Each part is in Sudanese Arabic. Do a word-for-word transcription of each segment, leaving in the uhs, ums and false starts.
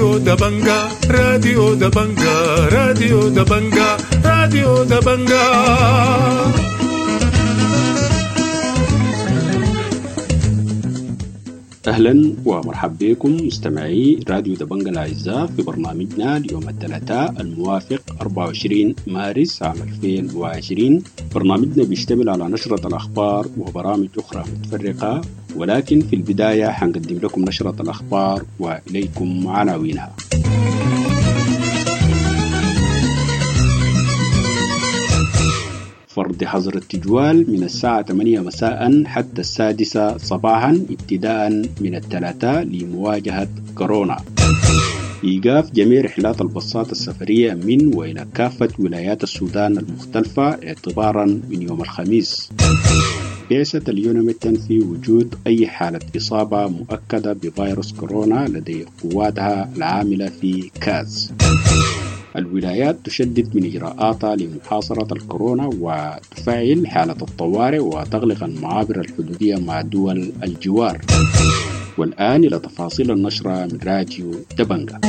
راديو دبنجا راديو دبنجا راديو دبنجا راديو دبنجا. أهلا ومرحبا بكم مستمعي راديو دبنجا الأعزاء في برنامجنا اليوم الثلاثاء الموافق أربعة وعشرين مارس عام ألفين وعشرين. برنامجنا بيشتمل على نشرة الأخبار وبرامج أخرى متفرقة، ولكن في البداية حنقدم لكم نشرة الأخبار وإليكم عناوينها. فرض حظر التجوال من الساعة ثمانية مساء حتى السادسة صباحا ابتداء من الثلاثاء لمواجهة كورونا. إيقاف جميع رحلات الباصات السفرية من وإلى كافة ولايات السودان المختلفة اعتبارا من يوم الخميس. بعثة اليوناميد تنفي وجود أي حالة إصابة مؤكدة بفيروس كورونا لدي قواتها العاملة في كاز. الولايات تشدد من إجراءاتها لمحاصرة الكورونا وتفعل حالة الطوارئ وتغلق المعابر الحدودية مع دول الجوار. والآن إلى تفاصيل النشرة من راديو دبنجا.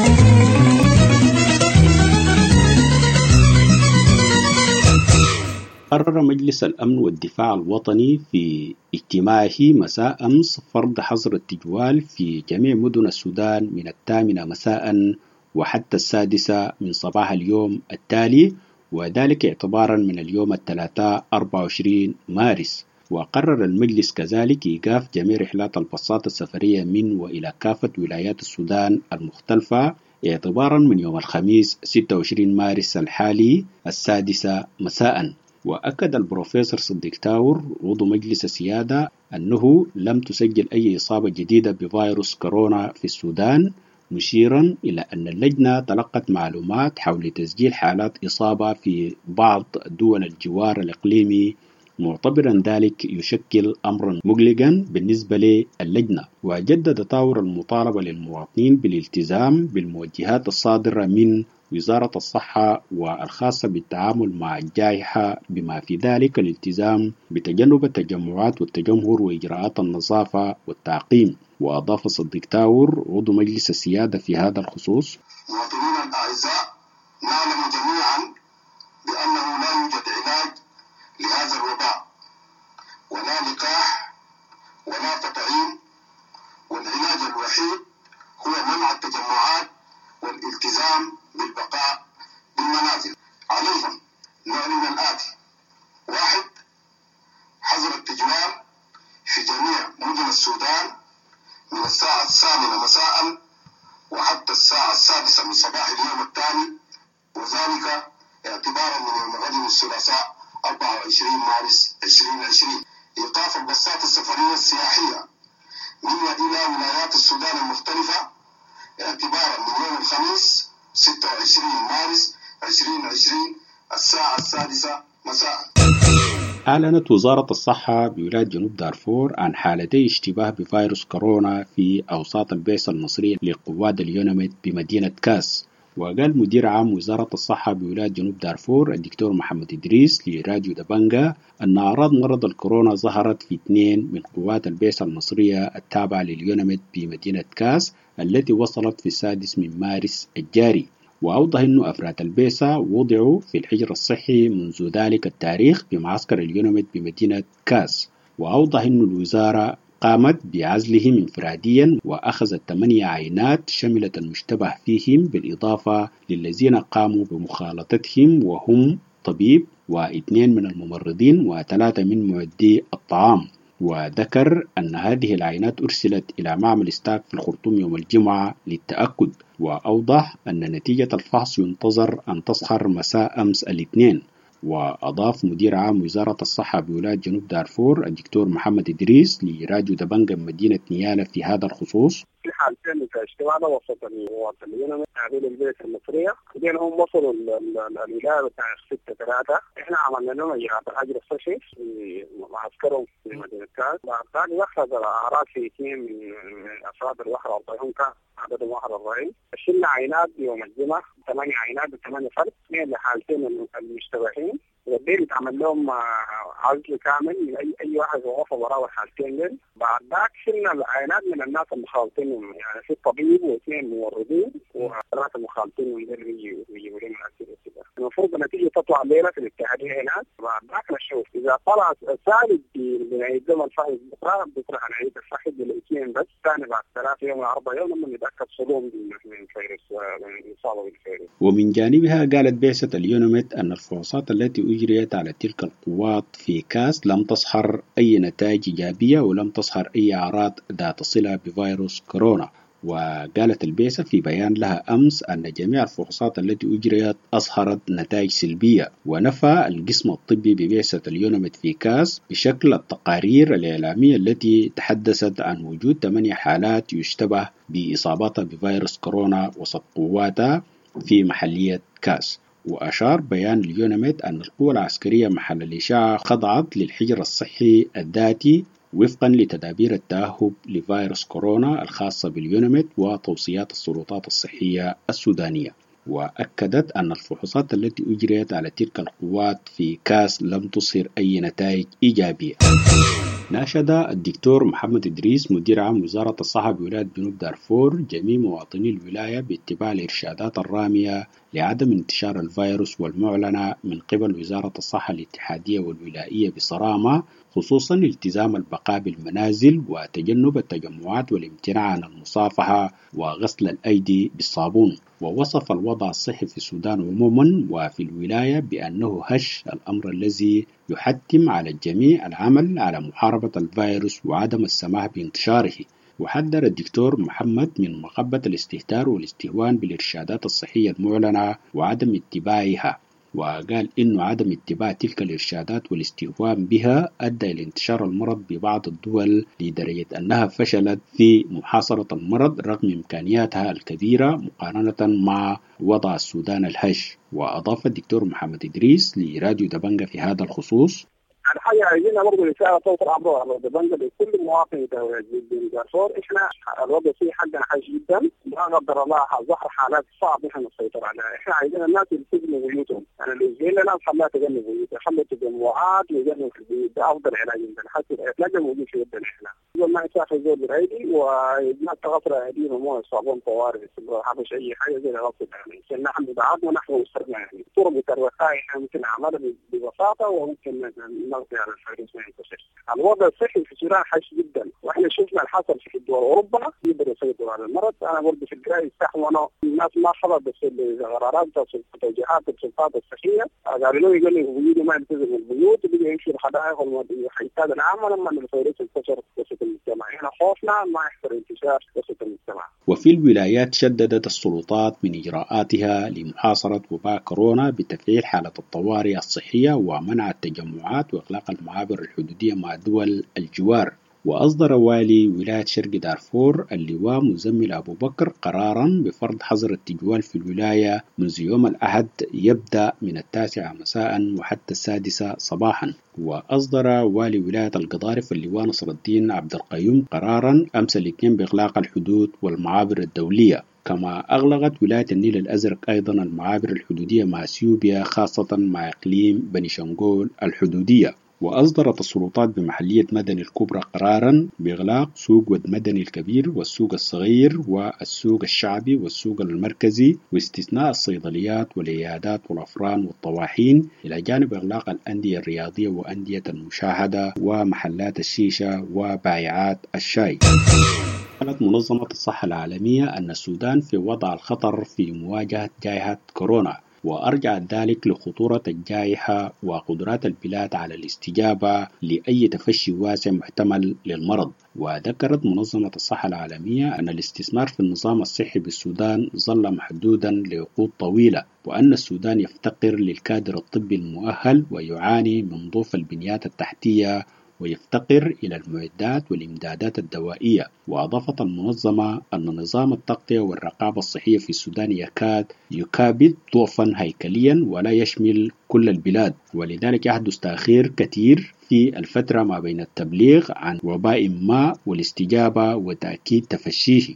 قرر مجلس الأمن والدفاع الوطني في اجتماعه مساء أمس فرض حظر التجوال في جميع مدن السودان من الثامنة مساء وحتى السادسة من صباح اليوم التالي، وذلك اعتبارا من اليوم الثلاثاء أربعة وعشرين مارس. وقرر المجلس كذلك إيقاف جميع رحلات الباصات السفرية من وإلى كافة ولايات السودان المختلفة اعتبارا من يوم الخميس ستة وعشرين مارس الحالي السادسة مساء. وأكد البروفيسور صديق تاور عضو مجلس السيادة أنه لم تسجل أي إصابة جديدة بفيروس كورونا في السودان، مشيرا إلى أن اللجنة تلقت معلومات حول تسجيل حالات إصابة في بعض دول الجوار الإقليمي، معتبرا ذلك يشكل أمرا مقلقا بالنسبة للجنة. وجدد تاور المطالبة للمواطنين بالالتزام بالموجهات الصادرة من وزارة الصحة والخاصة بالتعامل مع الجائحة، بما في ذلك الالتزام بتجنب التجمعات والتجمهر وإجراءات النظافة والتعقيم. وأضاف صديق تاور عضو مجلس السيادة في هذا الخصوص: مواطنينا الأعزاء، نعلم جميعا بأنه لا يوجد علاج لهذا الوباء ولا لقاح ولا تطعيم، والعلاج الوحيد هو منع التجمعات والالتزام بالبقاء بالمنازل. عليهم نعلن الآتي: واحد، حظر التجوال في جميع مدن السودان من الساعة الثامنة مساء وحتى الساعة السادسة من صباح اليوم التالي، وذلك اعتبارا من يوم غد الثلاثاء أربعة وعشرين مارس ألفين وعشرين. إيقاف الباصات السفرية السياحية من وإلى ولايات السودان المختلفة اعتبارا من يوم الخميس ستة وعشرين مارس ألفين وعشرين الساعة السادسة مساء. أعلنت وزارة الصحة بولاية جنوب دارفور عن حالتي اشتباه بفيروس كورونا في أوساط البعثة المصرية لقوات اليوناميد بمدينة كاس. وقال مدير عام وزارة الصحة بولاية جنوب دارفور الدكتور محمد إدريس لراديو دبنجا أن أعراض مرض الكورونا ظهرت في اثنين من قوات البعثة المصرية التابعة لليوناميد بمدينة كاس التي وصلت في السادس من مارس الجاري. وأوضح أن أفراد البعثة وضعوا في الحجر الصحي منذ ذلك التاريخ بمعسكر اليوناميد بمدينة كاس. وأوضح أن الوزارة قامت بعزلهم انفراديا وأخذت ثمانية عينات شملت المشتبه فيهم، بالإضافة للذين قاموا بمخالطتهم وهم طبيب واثنين من الممرضين وثلاثة من معدي الطعام. وذكر أن هذه العينات أرسلت إلى معمل ستاك في الخرطوم يوم الجمعة للتأكد. وأوضح أن نتيجة الفحص ينتظر أن تظهر مساء أمس الاثنين. وأضاف مدير عام وزارة الصحة بولاية جنوب دارفور الدكتور محمد إدريس لراديو دبنجا مدينة نيالا في هذا الخصوص: في حالتين اشتباه وسط اليوناميد تابعين للبعثة المصرية، بعدين هم وصلوا الولاية بتاع ستة ثلاثة، احنا عملنا لهم اجراءات الحجر الصحي في معسكرهم في مدينة كاس. بعد ذلك دخلت الأعراض في اثنين من أفراد الواحد وأربعين، كان عددهم واحد وأربعين. شلنا عينات يوم الجمعة، ثمانية عينات وثمانية فرد، اثنين لحالتين المشتبهين. والديل اتعمل لهم عزل كامل من اي اي واحد غرفه وراه الحالتين ديل. بعد ذاك شلنا العينات من الناس المخالطين، يعني في طبيب واثنين ممرضين وثلاثه مخالطين من ديل بيجوا بيجيبوا لنا الاسئله كده. المفروض النتيجه تطلع الليله في الاتحاديه هناك، بعد ذاك نشوف اذا طلع سالب بنعيد لهم الفحص بكره، بكره هنعيد الفحص بالاثنين بس، ثاني بعد ثلاث يوم ولا اربع يوم لما نتاكد صدوم من فيروس من الاصابه بالفيروس. ومن جانبها قالت بعثة اليوناميد أن الفحوصات التي أجريت على تلك القوات في كاس لم تظهر أي نتائج إيجابية ولم تظهر أي أعراض ذات صلة بفيروس كورونا. وقالت البعثة في بيان لها أمس أن جميع الفحوصات التي أجريت أظهرت نتائج سلبية. ونفى القسم الطبي ببعثة اليوناميد في كاس بشكل التقارير الإعلامية التي تحدثت عن وجود ثمانية حالات يشتبه بإصابتها بفيروس كورونا وسط قواتها في محلية كاس. وأشار بيان اليوناميد أن القوى العسكرية محل الإشاعة خضعت للحجر الصحي الذاتي وفقا لتدابير التأهب لفيروس كورونا الخاصة باليوناميد وتوصيات السلطات الصحية السودانية. وأكدت أن الفحوصات التي أجريت على تلك القوات في كاس لم تظهر أي نتائج إيجابية. ناشد الدكتور محمد إدريس مدير عام وزارة الصحة بولاية جنوب دارفور جميع مواطني الولاية باتباع الإرشادات الرامية لعدم انتشار الفيروس والمعلنة من قبل وزارة الصحة الاتحادية والولائية بصرامة، خصوصا التزام البقاء بالمنازل وتجنب التجمعات والامتناع عن المصافحة وغسل الأيدي بالصابون. ووصف الوضع الصحي في السودان عموما وفي الولاية بأنه هش، الأمر الذي يحتم على الجميع العمل على محاربة الفيروس وعدم السماح بانتشاره. وحذر الدكتور محمد من مغبة الاستهتار والاستهوان بالإرشادات الصحية المعلنة وعدم اتباعها، وقال إنه عدم اتباع تلك الإرشادات والاستهوان بها أدى إلى انتشار المرض ببعض الدول لدرجة أنها فشلت في محاصرة المرض رغم إمكانياتها الكبيرة مقارنة مع وضع السودان الهش. وأضاف الدكتور محمد إدريس لراديو دبنجة في هذا الخصوص: الحاجة عايزينها برضه رسالة توصل عبر دبنجة لكل مواطن دارفور، احنا الوضع فيه حقنا حاج جدا، لا قدر الله ظهر حالات صعب احنا نسيطر عليها، احنا عايزين الناس يلتزموا بيوتهم، يعني لو زينا الناس خلاها تجنب بيوتها، خلوا التجمعات ويجنبوا في البيوت، ده افضل علاج عندنا، حتى العلاج موجود في يدنا احنا، زول ما يسافر زول بالعيدي والناس تغسل ايديهم ومويه صابون طوارئ، حبش اي حاجه زي غسل يعني، عشان نحن بعضنا ونحن اسرنا يعني، طرق الوقايه احنا ممكن نعملها ببساطه وممكن نغطي على الفيروس ما ينتشر. الوضع الصحي في السودان حش جدا، واحنا شفنا الحصل في دول اوروبا يقدروا يسيطروا على المرض. انا برضه في القرايه استحوا الناس ما حضرت بس القرارات توجيهات السلطات الصحيه، قالوا لهم يقولوا البيوت ما يلتزموا البيوت وبقوا يمشوا الحدائق والحيتات العامه لما الفيروس انتشر وسط المجتمع، احنا خوفنا ما يحصل انتشار وسط المجتمع. وفي الولايات شددت السلطات من اجراءاتها لمحاصره وباء كورونا بتفعيل حاله الطوارئ الصحيه ومنع التجمعات وإغلاق المعابر الحدودية مع دول الجوار. وأصدر والي ولاية شرق دارفور اللواء مزمل أبو بكر قرارا بفرض حظر التجوال في الولاية منذ يوم الأحد يبدأ من التاسعة مساء وحتى السادسة صباحا. وأصدر والي ولاية القضارف اللواء نصر الدين عبد القيوم قرارا أمس الاثنين بإغلاق الحدود والمعابر الدولية. كما أغلقت ولاية النيل الأزرق أيضا المعابر الحدودية مع اثيوبيا خاصة مع إقليم بني شنقول الحدودية. وأصدرت السلطات بمحلية مدني الكبرى قرارا بإغلاق سوق ود مدني الكبير والسوق الصغير والسوق الشعبي والسوق المركزي واستثناء الصيدليات والعيادات والأفران والطواحين، إلى جانب إغلاق الأندية الرياضية وأندية المشاهدة ومحلات الشيشة وبائعات الشاي. قالت منظمة الصحة العالمية أن السودان في وضع الخطر في مواجهة جائحة كورونا، وأرجعت ذلك لخطورة الجائحة وقدرات البلاد على الاستجابة لأي تفشي واسع محتمل للمرض. وذكرت منظمة الصحة العالمية أن الاستثمار في النظام الصحي بالسودان ظل محدودا لعقود طويلة، وأن السودان يفتقر للكادر الطبي المؤهل ويعاني من ضعف البنيات التحتية ويفتقر إلى المعدات والإمدادات الدوائية. وأضافت المنظمة أن نظام التغطية والرقابة الصحية في السودان يكاد يكابد ضعفا هيكليا ولا يشمل كل البلاد، ولذلك يحدث تأخير كثير في الفترة ما بين التبليغ عن وباء ما والاستجابة وتأكيد تفشيه.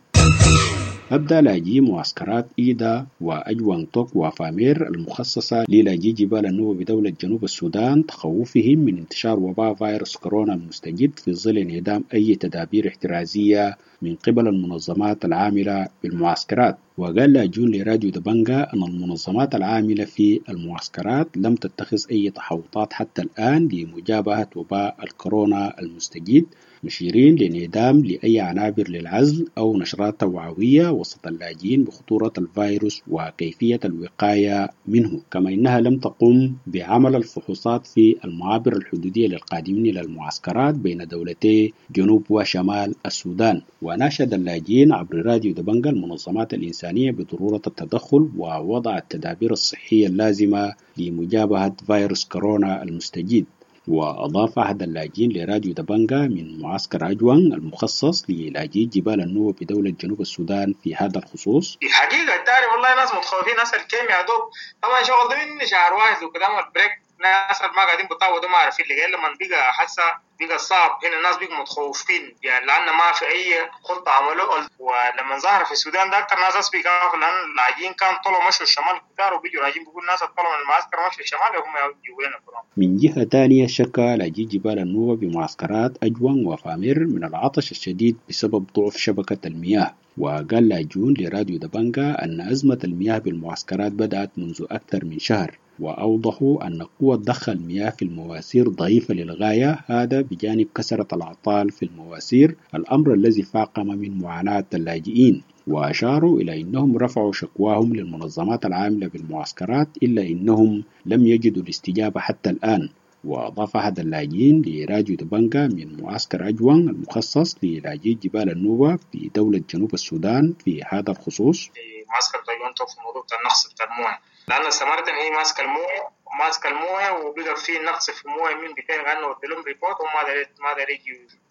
أبدى لاجئي معسكرات إيدا وأجوان توك وفامير المخصصة للاجئي جبال النوبة بدولة جنوب السودان تخوفهم من انتشار وباء فيروس كورونا المستجد في ظل انعدام أي تدابير احترازية من قبل المنظمات العاملة بالمعسكرات. وقال لاجئون لراديو دبنجا أن المنظمات العاملة في المعسكرات لم تتخذ أي تحوطات حتى الآن لمجابهة وباء الكورونا المستجد، مشيرين لانعدام لأي عنابر للعزل أو نشرات توعوية وسط اللاجئين بخطورة الفيروس وكيفية الوقاية منه، كما إنها لم تقم بعمل الفحوصات في المعابر الحدودية للقادمين إلى المعسكرات بين دولتي جنوب وشمال السودان. وناشد اللاجئين عبر راديو دبنجا المنظمات الإنسانية بضرورة التدخل ووضع التدابير الصحية اللازمة لمجابهة فيروس كورونا المستجد. وأضاف أحد اللاجئين لراديو دبنجا من معسكر أجوان المخصص للاجئي جبال النوبة بدولة جنوب السودان في هذا الخصوص: حقيقة تعرف والله ناس متخوفين، ناس الكيمياء دوب طبعا شغل ده من شهر واحد وكده ال break، ناس ما قاعدين بيطاودوا ما عارفين اللي لما بقى حاسة بقى صعب هنا الناس بقوا متخوفين يعني لأن ما في أي خطة عملوه. ولما ظهر في السودان ده أكتر ناس بيخافوا لأن اللاجئين كان طلعوا مشوا الشمال كتار وبيجوا لاجئين بيقول الناس طلعوا من المعسكر مشوا الشمال وهم يجوا لنا كلهم. من جهة ثانية شكا لاجئي جبال النوبة بمعسكرات أجوان وفامير من العطش الشديد بسبب ضعف شبكة المياه. وقال لاجئون لراديو دبنجا أن أزمة المياه بالمعسكرات بدأت منذ أكثر من شهر، وأوضحوا أن قوة ضخ المياه في المواسير ضعيفة للغاية، هذا بجانب كثرة الأعطال في المواسير، الأمر الذي فاقم من معاناة اللاجئين. وأشاروا إلى أنهم رفعوا شكواهم للمنظمات العاملة بالمعسكرات إلا أنهم لم يجدوا الاستجابة حتى الآن. وأضاف أحد اللاجئين لراديو دبنجا من معسكر أجوان المخصص للاجئي جبال النوبة في دولة جنوب السودان في هذا الخصوص: معسكر أجوان في الموضوع بتاع النقص بتاع المويه، لأن سمرتن هي ماسكة المويه ماسكة المويه وبقى في نقص في المويه من بتين لأنه ودلهم report وما داري ما داري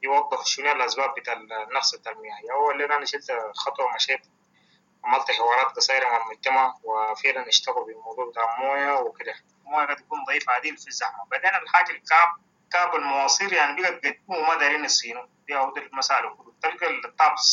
يوضح شنو الأسباب بتاع النقص بتاع المياه. هو اللي أنا شلت خطوة ومشيت عملت حوارات قصيرة مع المجتمع وفعلا اشتغلوا بالموضوع بتاع المويه وكده. المويه قد تكون ضعيفة عديل في الزحمة. بعدين الحاجة الكاب كاب المواصير يعني بقت قديمة وما دارين يصينوا دي أو المسألة كله. تلقى الطابس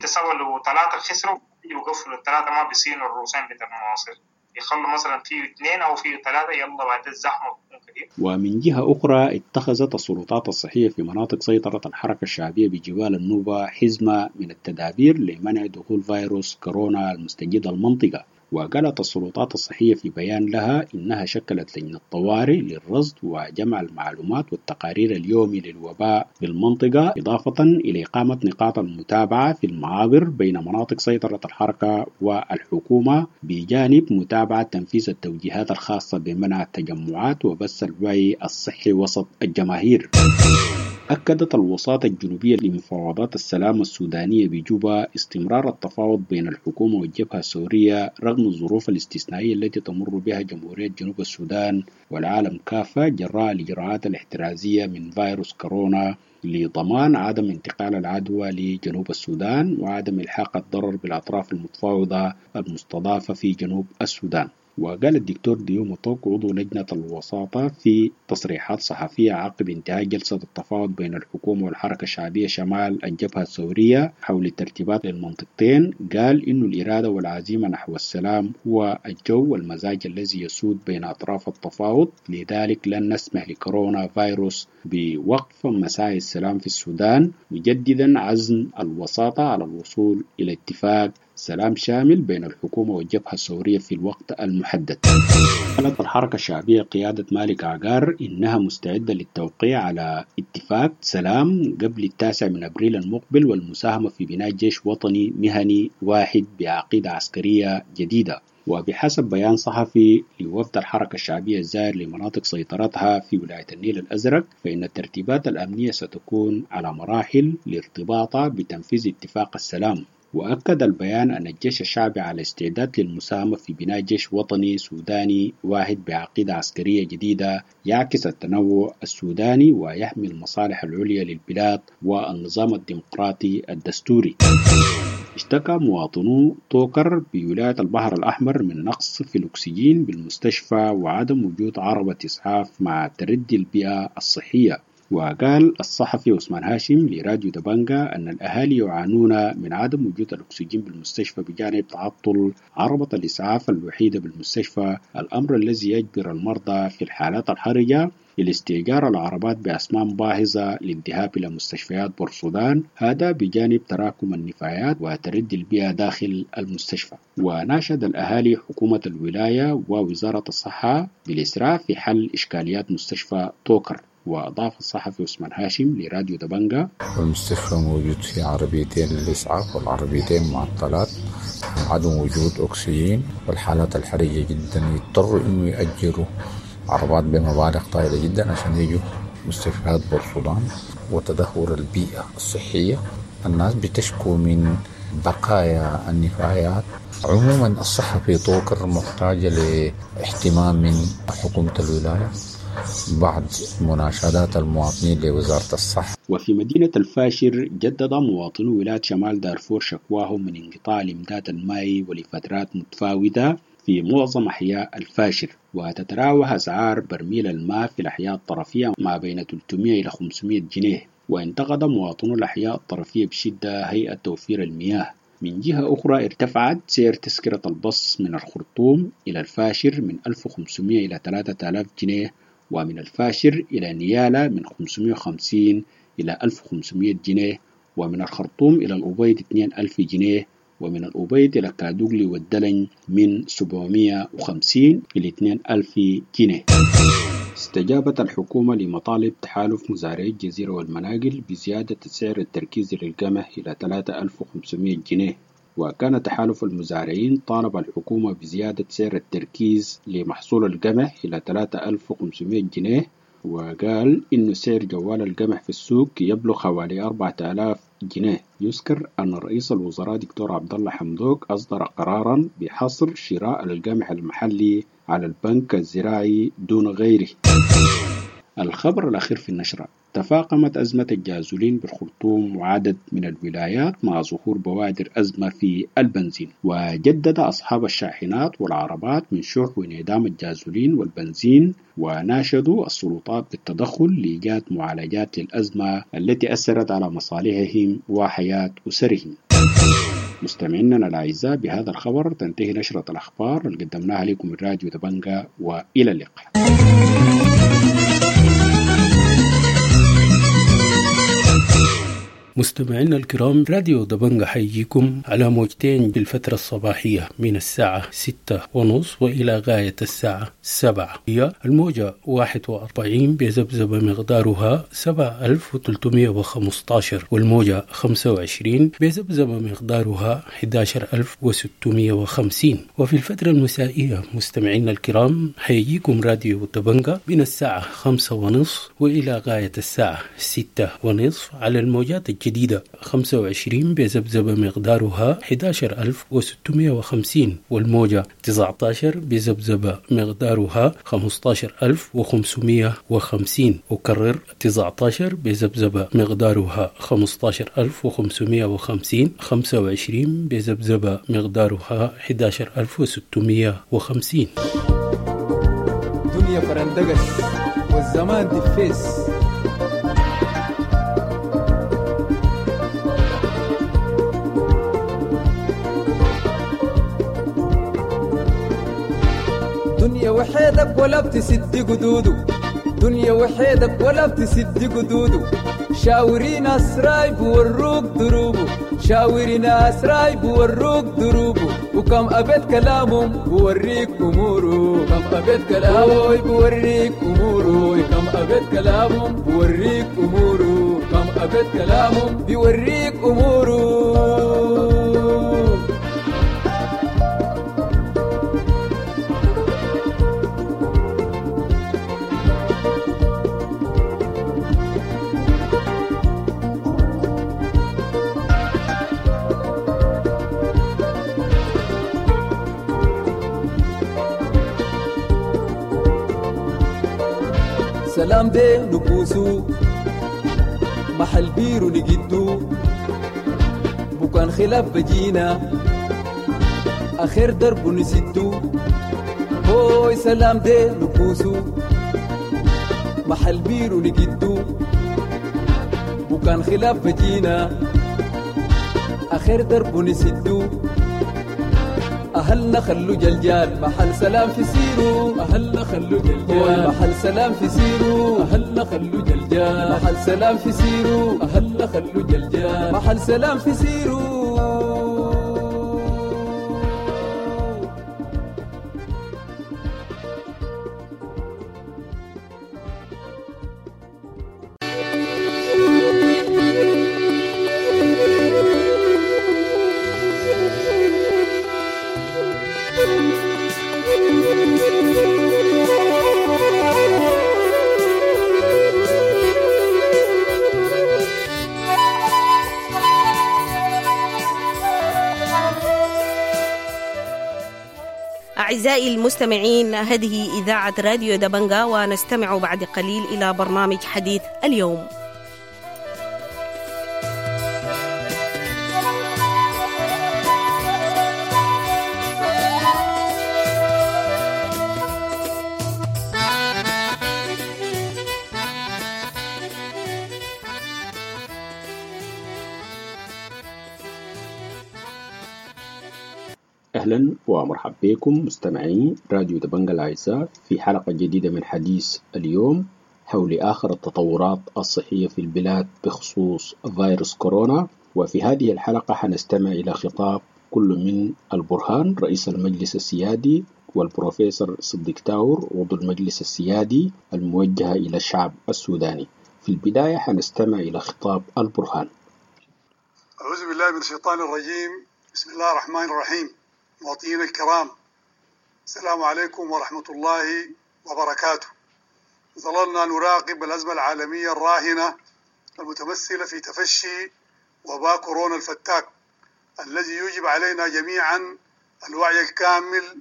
تسوى ثلاثة خسروا يوقفوا الثلاثة ما بيصينوا الروسين بتاع المواصير، يخلوا مثلا فيه اثنين أو فيه ثلاثة يلا بعد الزحمة بتكون كتير. ومن جهة أخرى اتخذت السلطات الصحية في مناطق سيطرة الحركة الشعبية بجبال النوبة حزمة من التدابير لمنع دخول فيروس كورونا المستجد المنطقة. وقالت السلطات الصحية في بيان لها إنها شكلت لجنة طوارئ للرصد وجمع المعلومات والتقارير اليومي للوباء بالمنطقة، إضافة إلى إقامة نقاط المتابعة في المعابر بين مناطق سيطرة الحركة والحكومة، بجانب متابعة تنفيذ التوجيهات الخاصة بمنع التجمعات وبث الوعي الصحي وسط الجماهير. أكدت الوساطة الجنوبية لمفاوضات السلام السودانية بجوبا استمرار التفاوض بين الحكومة والجبهة السورية رغم الظروف الاستثنائية التي تمر بها جمهورية جنوب السودان والعالم كافة جراء الإجراءات الاحترازية من فيروس كورونا لضمان عدم انتقال العدوى لجنوب السودان وعدم إلحاق الضرر بالأطراف المتفاوضة المستضافة في جنوب السودان. وقال الدكتور ديوم توك عضو لجنة الوساطة في تصريحات صحفية عقب انتهاء جلسة التفاوض بين الحكومة والحركة الشعبية شمال الجبهة الثورية حول الترتيبات للمنطقتين، قال إن الإرادة والعزيمة نحو السلام هو الجو والمزاج الذي يسود بين أطراف التفاوض، لذلك لن نسمح لكورونا فيروس بوقف مساعي السلام في السودان، مجددا عزم الوساطة على الوصول إلى اتفاق سلام شامل بين الحكومة والجبهة الثورية في الوقت المحدد. قالت الحركة الشعبية قيادة مالك عقار إنها مستعدة للتوقيع على اتفاق سلام قبل التاسع من أبريل المقبل والمساهمة في بناء جيش وطني مهني واحد بعقيدة عسكرية جديدة. وبحسب بيان صحفي لوفد الحركة الشعبية الزائر لمناطق سيطرتها في ولاية النيل الأزرق، فإن الترتيبات الأمنية ستكون على مراحل لارتباطها بتنفيذ اتفاق السلام. وأكد البيان أن الجيش الشعبي على استعداد للمساهمة في بناء جيش وطني سوداني واحد بعقيدة عسكرية جديدة يعكس التنوع السوداني ويحمي المصالح العليا للبلاد والنظام الديمقراطي الدستوري. اشتكى مواطنو طوكر بولاية البحر الأحمر من نقص في الأكسجين بالمستشفى وعدم وجود عربة إسعاف مع تردي البيئة الصحية. وقال الصحفي عثمان هاشم لراديو دبنجا أن الأهالي يعانون من عدم وجود الأكسجين بالمستشفى بجانب تعطل عربة الإسعاف الوحيدة بالمستشفى، الأمر الذي يجبر المرضى في الحالات الحرجة إلى استئجار العربات بأثمان باهظة للذهاب إلى مستشفيات بورسودان، هذا بجانب تراكم النفايات وتردي البيئة داخل المستشفى. وناشد الأهالي حكومة الولاية ووزارة الصحة بالإسراع في حل إشكاليات مستشفى طوكر. وأضاف الصحفي عثمان هاشم لراديو دبنجا: المستشفى موجود فيه عربيتين للإسعاف والعربيتين معطلات، عدم وجود أكسجين، والحالات الحرجة جدا يضطروا إنه يأجروا عربات بمبالغ طائلة جدا عشان يجوا مستشفيات بورسودان. وتدهور البيئة الصحية، الناس بتشكو من بقايا النفايات. عموما الصحة في طوكر محتاجة لاهتمام من حكومة الولاية بعد مناشدات المواطنين لوزارة الصحة. وفي مدينة الفاشر جدد مواطنو ولاية شمال دارفور شكواهم من انقطاع الإمداد المائي ولفترات متفاوتة في معظم أحياء الفاشر. وتتراوح أسعار برميل الماء في الأحياء الطرفية ما بين ثلاثمئة إلى خمسمئة جنيه. وانتقد مواطنو الأحياء الطرفية بشدة هيئة توفير المياه. من جهة أخرى ارتفعت سعر تذكرة البص من الخرطوم إلى الفاشر من ألف وخمسمئة إلى ثلاثة آلاف جنيه، ومن الفاشر إلى نيالا من خمسمئة وخمسين إلى ألف وخمسمئة جنيه، ومن الخرطوم إلى الأبيض اثنين ألف جنيه، ومن الأبيض إلى كادوغلي والدلن من سبعمئة وخمسين إلى اثنين ألف جنيه. استجابت الحكومة لمطالب تحالف مزارعي الجزيرة والمناقل بزيادة سعر التركيز للقمح إلى ثلاثة ألف وخمسمئة جنيه. وكان تحالف المزارعين طالب الحكومة بزيادة سعر التركيز لمحصول القمح إلى ثلاثة ألف وخمسمئة جنيه، وقال إن سعر جوال القمح في السوق يبلغ حوالي أربعة آلاف جنيه. يذكر أن رئيس الوزراء دكتور عبد الله حمدوك أصدر قرارا بحصر شراء القمح المحلي على البنك الزراعي دون غيره. الخبر الأخير في النشرة: تفاقمت أزمة الجازولين بالخرطوم وعدد من الولايات مع ظهور بوادر أزمة في البنزين. وجدد أصحاب الشاحنات والعربات من شح وانعدام الجازولين والبنزين، وناشدوا السلطات بالتدخل لإيجاد معالجات للأزمة التي أثرت على مصالحهم وحياة أسرهم. مستمعينا الأعزاء، بهذا الخبر تنتهي نشرة الأخبار اللي قدمناها لكم من راديو دبنجا، وإلى اللقاء. مستمعينا الكرام، راديو دبنجا حيجيكم على موجتين بالفترة الصباحية من الساعة ستة ونص وإلى غاية الساعة سبعة. هي الموجة واحد وأربعين بذبذبة مقدارها سبعة ألف وثلاثمئة وخمسة عشر، والموجة خمسة وعشرين بذبذبة مقدارها أحد عشر ألف وستمئة وخمسين. وفي الفترة المسائية مستمعينا الكرام حيجيكم راديو دبنجا من الساعة خمسة ونصف وإلى غاية الساعة ستة ونصف على الموجات الجديدة خمسة وعشرين بذبذبة مقدارها أحد عشر ألف وستمئة وخمسين، والموجة تسعة عشر بذبذبة مقدارها خمسة عشر ألف وخمسمئة وخمسين. أكرر، تسعة عشر بذبذبة مقدارها خمسة عشر ألف وخمسمئة وخمسين، خمسة وعشرين بذبذبة مقدارها أحد عشر ألف وستمئة وخمسين. دنيا فرندقس والزمان دفيس. دنيا وحيدك ولا بتسد قدوده، دنيا وحيدك ولا بتسد قدوده، شاوري ناس رايب وروك دروبه، شاوري ناس رايب وروك دروبه، وكم أبيت كلامهم بوريك أموره، كم أبيت كلامه بوريك أموره، كم أبيت كلامهم بوريك أموره، كم أبيت كلامهم بوريك أموره. سلام دي نبوسو محل بيرو نجدو، بكان خلاف بجينا آخر درب نسدو، هوي سلام دي نبوسو محل بيرو نجدو، وكان خلاف بجينا أخير درب نسدو. أهلنا خلو جلجال محل سلام في سيرو، أهلنا خلو جلجال محل سلام في سيرو، أهلنا خلو جلجال محل سلام في سيرو، أهلنا خلو جلجال محل سلام في سيرو. أعزائي المستمعين، هذه إذاعة راديو دبنجا، ونستمع بعد قليل إلى برنامج حديث اليوم. أهلا ومرحبا بكم مستمعي راديو دبنجا الأعزاء في حلقة جديدة من حديث اليوم حول آخر التطورات الصحية في البلاد بخصوص فيروس كورونا. وفي هذه الحلقة حنستمع إلى خطاب كل من البرهان رئيس المجلس السيادي والبروفيسور صديق تاور عضو المجلس السيادي الموجهة إلى الشعب السوداني. في البداية حنستمع إلى خطاب البرهان. أعوذ بالله من الشيطان الرجيم، بسم الله الرحمن الرحيم. مواطنين الكرام، السلام عليكم ورحمة الله وبركاته. ظللنا نراقب الأزمة العالمية الراهنة المتمثلة في تفشي وباء كورونا الفتاك الذي يجب علينا جميعا الوعي الكامل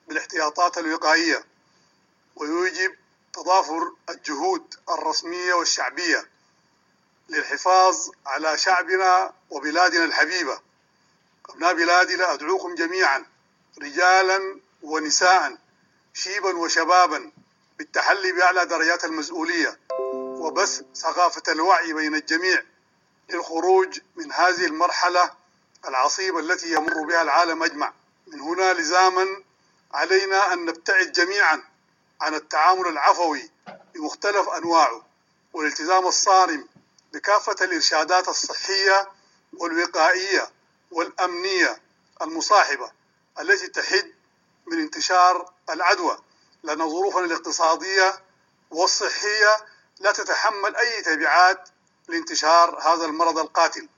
بالاحتياطات الوقائية، ويوجب تضافر الجهود الرسمية والشعبية للحفاظ على شعبنا وبلادنا الحبيبة. أبناء بلادي، لا أدعوكم جميعا رجالا ونساء، شيبا وشبابا، بالتحلي بأعلى درجات المسؤولية وبث ثقافة الوعي بين الجميع للخروج من هذه المرحلة العصيبة التي يمر بها العالم أجمع. من هنا لزاما علينا أن نبتعد جميعا عن التعامل العفوي بمختلف أنواعه والالتزام الصارم بكافة الإرشادات الصحية والوقائية والأمنية المصاحبة التي تحد من انتشار العدوى، لأن ظروفنا الاقتصادية والصحية لا تتحمل أي تبعات لانتشار هذا المرض القاتل.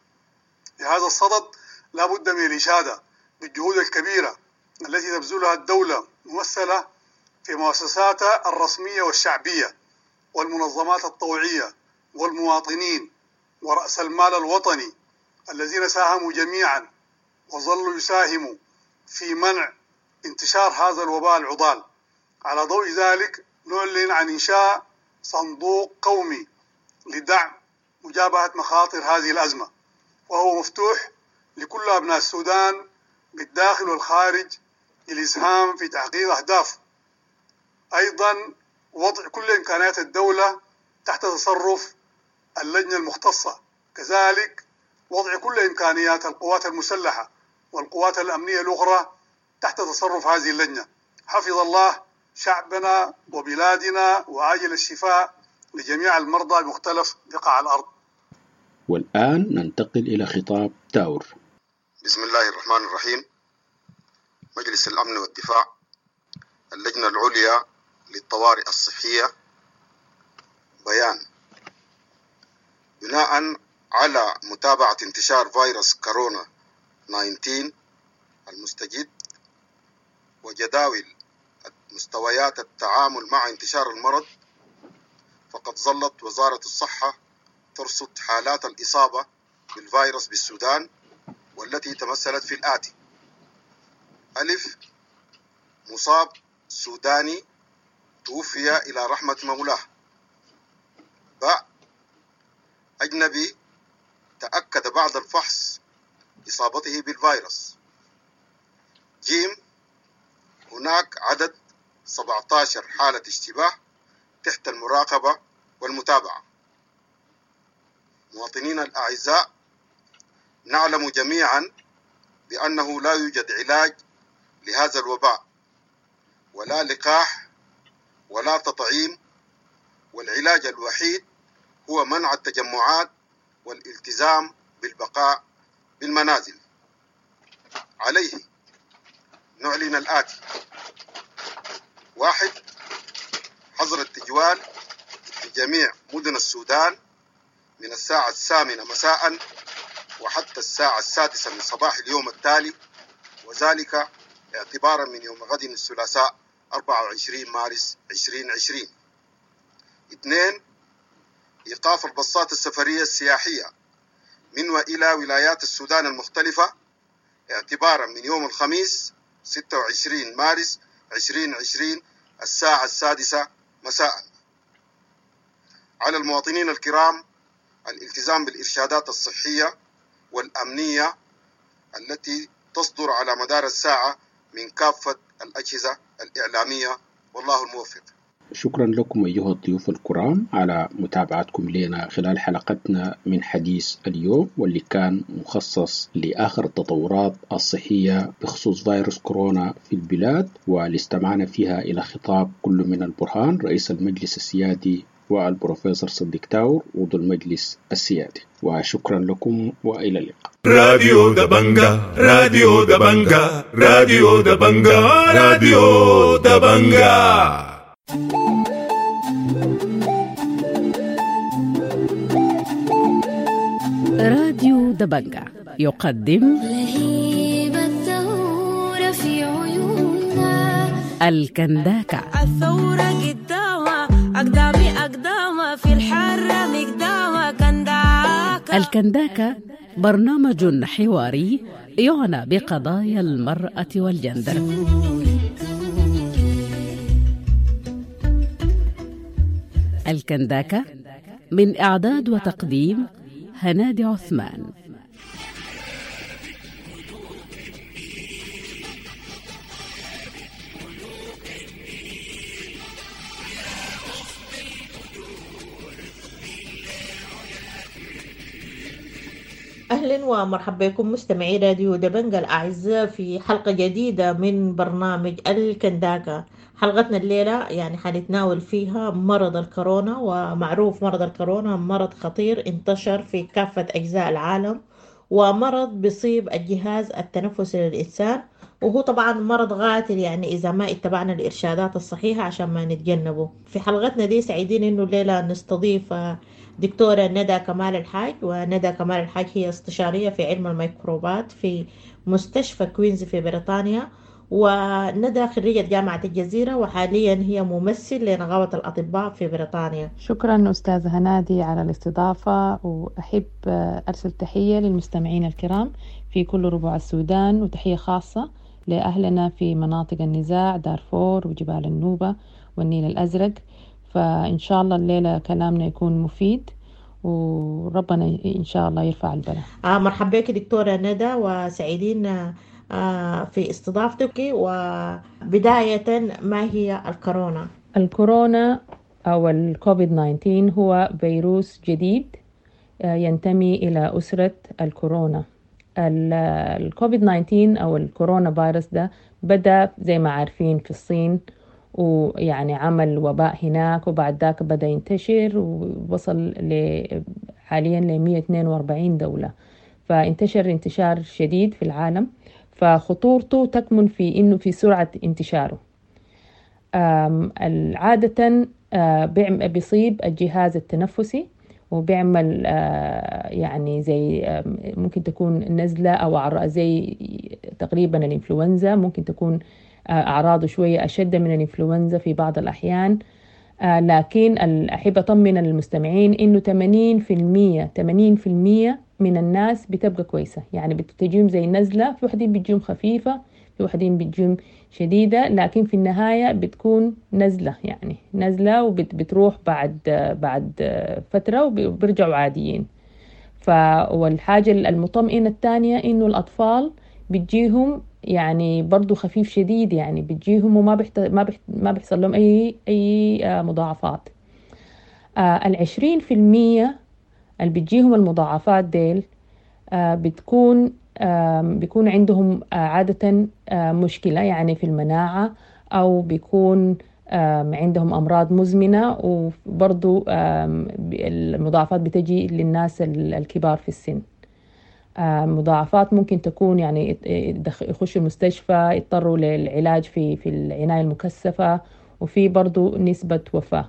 في هذا الصدد لا بد من الإشادة بالجهود الكبيرة التي تبذلها الدولة ممثلة في مؤسساتها الرسمية والشعبية والمنظمات الطوعية والمواطنين ورأس المال الوطني الذين ساهموا جميعا وظلوا يساهموا في منع انتشار هذا الوباء العضال. على ضوء ذلك نعلن عن إنشاء صندوق قومي لدعم مجابهة مخاطر هذه الأزمة، وهو مفتوح لكل أبناء السودان بالداخل والخارج للإسهام في تحقيق أهدافه. أيضا وضع كل إمكانيات الدولة تحت تصرف اللجنة المختصة، كذلك وضع كل إمكانيات القوات المسلحة والقوات الأمنية الأخرى تحت تصرف هذه اللجنة. حفظ الله شعبنا وبلادنا وعاجل الشفاء لجميع المرضى بمختلف بقاع الأرض. والآن ننتقل إلى خطاب تاور. بسم الله الرحمن الرحيم. مجلس الأمن والدفاع، اللجنة العليا للطوارئ الصحية، بيان: بناء على متابعة انتشار فيروس كورونا تسعة عشر المستجد وجداول مستويات التعامل مع انتشار المرض، فقد ظلت وزارة الصحة ترصد حالات الإصابة بالفيروس بالسودان، والتي تمثلت في الآتي: ألف، مصاب سوداني توفي إلى رحمة مولاه. باء، أجنبي تأكد بعد الفحص إصابته بالفيروس. جيم، هناك عدد سبعة عشر حالة اشتباه تحت المراقبة والمتابعة. مواطنينا الأعزاء، نعلم جميعا بأنه لا يوجد علاج لهذا الوباء ولا لقاح ولا تطعيم، والعلاج الوحيد هو منع التجمعات والالتزام بالبقاء بالمنازل. عليه نعلن الآتي: واحد، حظر التجوال في جميع مدن السودان من الساعة الثامنة مساء وحتى الساعة السادسة من صباح اليوم التالي، وذلك اعتبارا من يوم غد الثلاثاء أربعة وعشرين مارس ألفين وعشرين. اثنين، إيقاف الباصات السفرية السياحية من وإلى ولايات السودان المختلفة اعتبارا من يوم الخميس ستة وعشرين مارس ألفين وعشرين الساعة السادسة مساء. على المواطنين الكرام الالتزام بالإرشادات الصحية والأمنية التي تصدر على مدار الساعة من كافة الأجهزة الإعلامية، والله الموفق. شكرا لكم أيها الضيوف الكرام على متابعتكم لنا خلال حلقتنا من حديث اليوم، واللي كان مخصص لآخر التطورات الصحية بخصوص فيروس كورونا في البلاد، واللي استمعنا فيها إلى خطاب كل من البرهان رئيس المجلس السيادي والبروفيسور صديق تاور عضو المجلس السيادي. وشكرا لكم وإلى اللقاء. راديو دبنجا، راديو دبنجا، راديو دبنجا، راديو دبنجا. راديو دبنجا يقدم لهيب الثورة في عيوننا الكنداكا. الثورة قدامها أقدامي أقدامها في الحرة مقدامها كنداكا. الكنداكا برنامج حواري يعنى بقضايا المرأة والجندر. الكنداكا من إعداد وتقديم هنادي عثمان. أهلا ومرحبا بكم مستمعي راديو دبنجا الأعزاء في حلقة جديدة من برنامج الكنداكا. حلقتنا الليلة يعني حنتناول فيها مرض الكورونا، ومعروف مرض الكورونا مرض خطير انتشر في كافة أجزاء العالم، ومرض بيصيب الجهاز التنفسي للإنسان، وهو طبعا مرض قاتل يعني إذا ما اتبعنا الإرشادات الصحيحة عشان ما نتجنبه. في حلقتنا دي سعيدين إنه الليلة نستضيف دكتورة ندى كمال الحاج. وندى كمال الحاج هي استشارية في علم الميكروبات في مستشفى كوينز في بريطانيا، وندى خريجة جامعة الجزيرة، وحاليا هي ممثل لنقابة الأطباء في بريطانيا. شكرا أستاذة هنادي على الاستضافة، وأحب أرسل تحية للمستمعين الكرام في كل ربوع السودان، وتحية خاصة لأهلنا في مناطق النزاع دارفور وجبال النوبة والنيل الأزرق. فإن شاء الله الليلة كلامنا يكون مفيد، وربنا إن شاء الله يرفع البلاء. آه مرحبا بك دكتورة ندى، وسعيدين آه في استضافتك. وبداية، ما هي الكورونا؟ الكورونا أو الكوفيد تسعة عشر هو فيروس جديد ينتمي إلى أسرة الكورونا. الكوفيد تسعة عشر أو الكورونا فيروس ده بدأ زي ما عارفين في الصين، ويعني عمل وباء هناك، وبعد ذاك بدأ ينتشر ووصل حاليا ل مئة واثنين وأربعين دولة، فانتشر انتشار شديد في العالم. فخطورته تكمن في إنه في سرعة انتشاره. عادة بيصيب الجهاز التنفسي، وبيعمل يعني زي ممكن تكون نزلة أو زي تقريبا الإنفلونزا، ممكن تكون أعراضه شوية أشد من الإنفلونزا في بعض الأحيان. لكن أحب أطمن المستمعين إنه ثمانين بالمئة ثمانين بالمئة من الناس بتبقى كويسة، يعني بتجيهم زي نزلة، في وحدين بتجيهم خفيفة، في وحدين بتجيهم شديدة، لكن في النهاية بتكون نزلة، يعني نزلة وبتروح بعد بعد فترة وبيرجعوا عاديين. ف والحاجة المطمئنة الثانية إنه الأطفال بتجيهم يعني برضو خفيف شديد، يعني بتجيهم وما بحت... ما بحت... ما بيحصل لهم أي أي مضاعفات. العشرين في المية اللي بتجيهم المضاعفات ديل آه، بتكون آه، بيكون عندهم آه، عادة آه، مشكلة يعني في المناعة، أو بيكون آم، عندهم أمراض مزمنة، وبرضو آم، المضاعفات بتجي للناس ال- الكبار في السن. آه، مضاعفات ممكن تكون يعني يت- يدخ- يخشوا المستشفى، يضطروا للعلاج في في العناية المكثفة، وفي برضو نسبة وفاة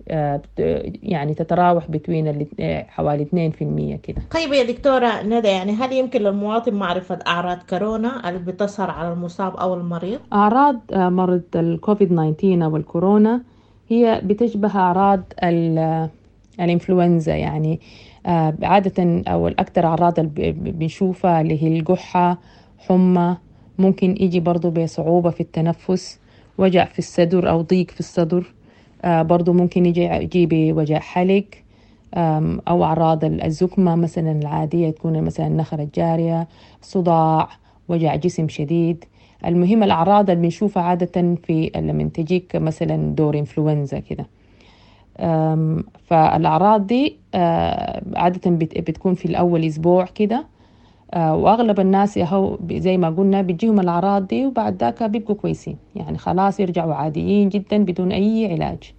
آه، بت- يعني تتراوح بين حوالي اثنين في المية كده. طيب يا دكتورة ندى، يعني هل يمكن للمواطن معرفة أعراض كورونا اللي بتظهر على المصاب أو المريض؟ أعراض آه، مرض الكوفيد تسعة عشر أو الكورونا هي بتشبه أعراض ال- الإنفلونزا، يعني آه، عادة أو الأكثر أعراض اللي ب- بنشوفها اللي هي القحة، حمى، ممكن يجي برضو بصعوبة في التنفس، وجع في الصدر أو ضيق في الصدر، آه، برضو ممكن يجي يجي بوجع حلق، آم، أو أعراض الزكمة مثلا العادية، تكون مثلا النخرة الجارية، صداع، وجع جسم شديد. المهم الأعراض اللي بنشوفها عادة في لما تجيك مثلا دور إنفلونزا كده. أم، فالأعراض دي آه، عادة بت- بتكون في الأول أسبوع كده، آه، وأغلب الناس يهو زي ما قلنا بتجيهم الأعراض دي وبعد ذاك بيبقوا كويسين، يعني خلاص يرجعوا عاديين جدا بدون أي علاج.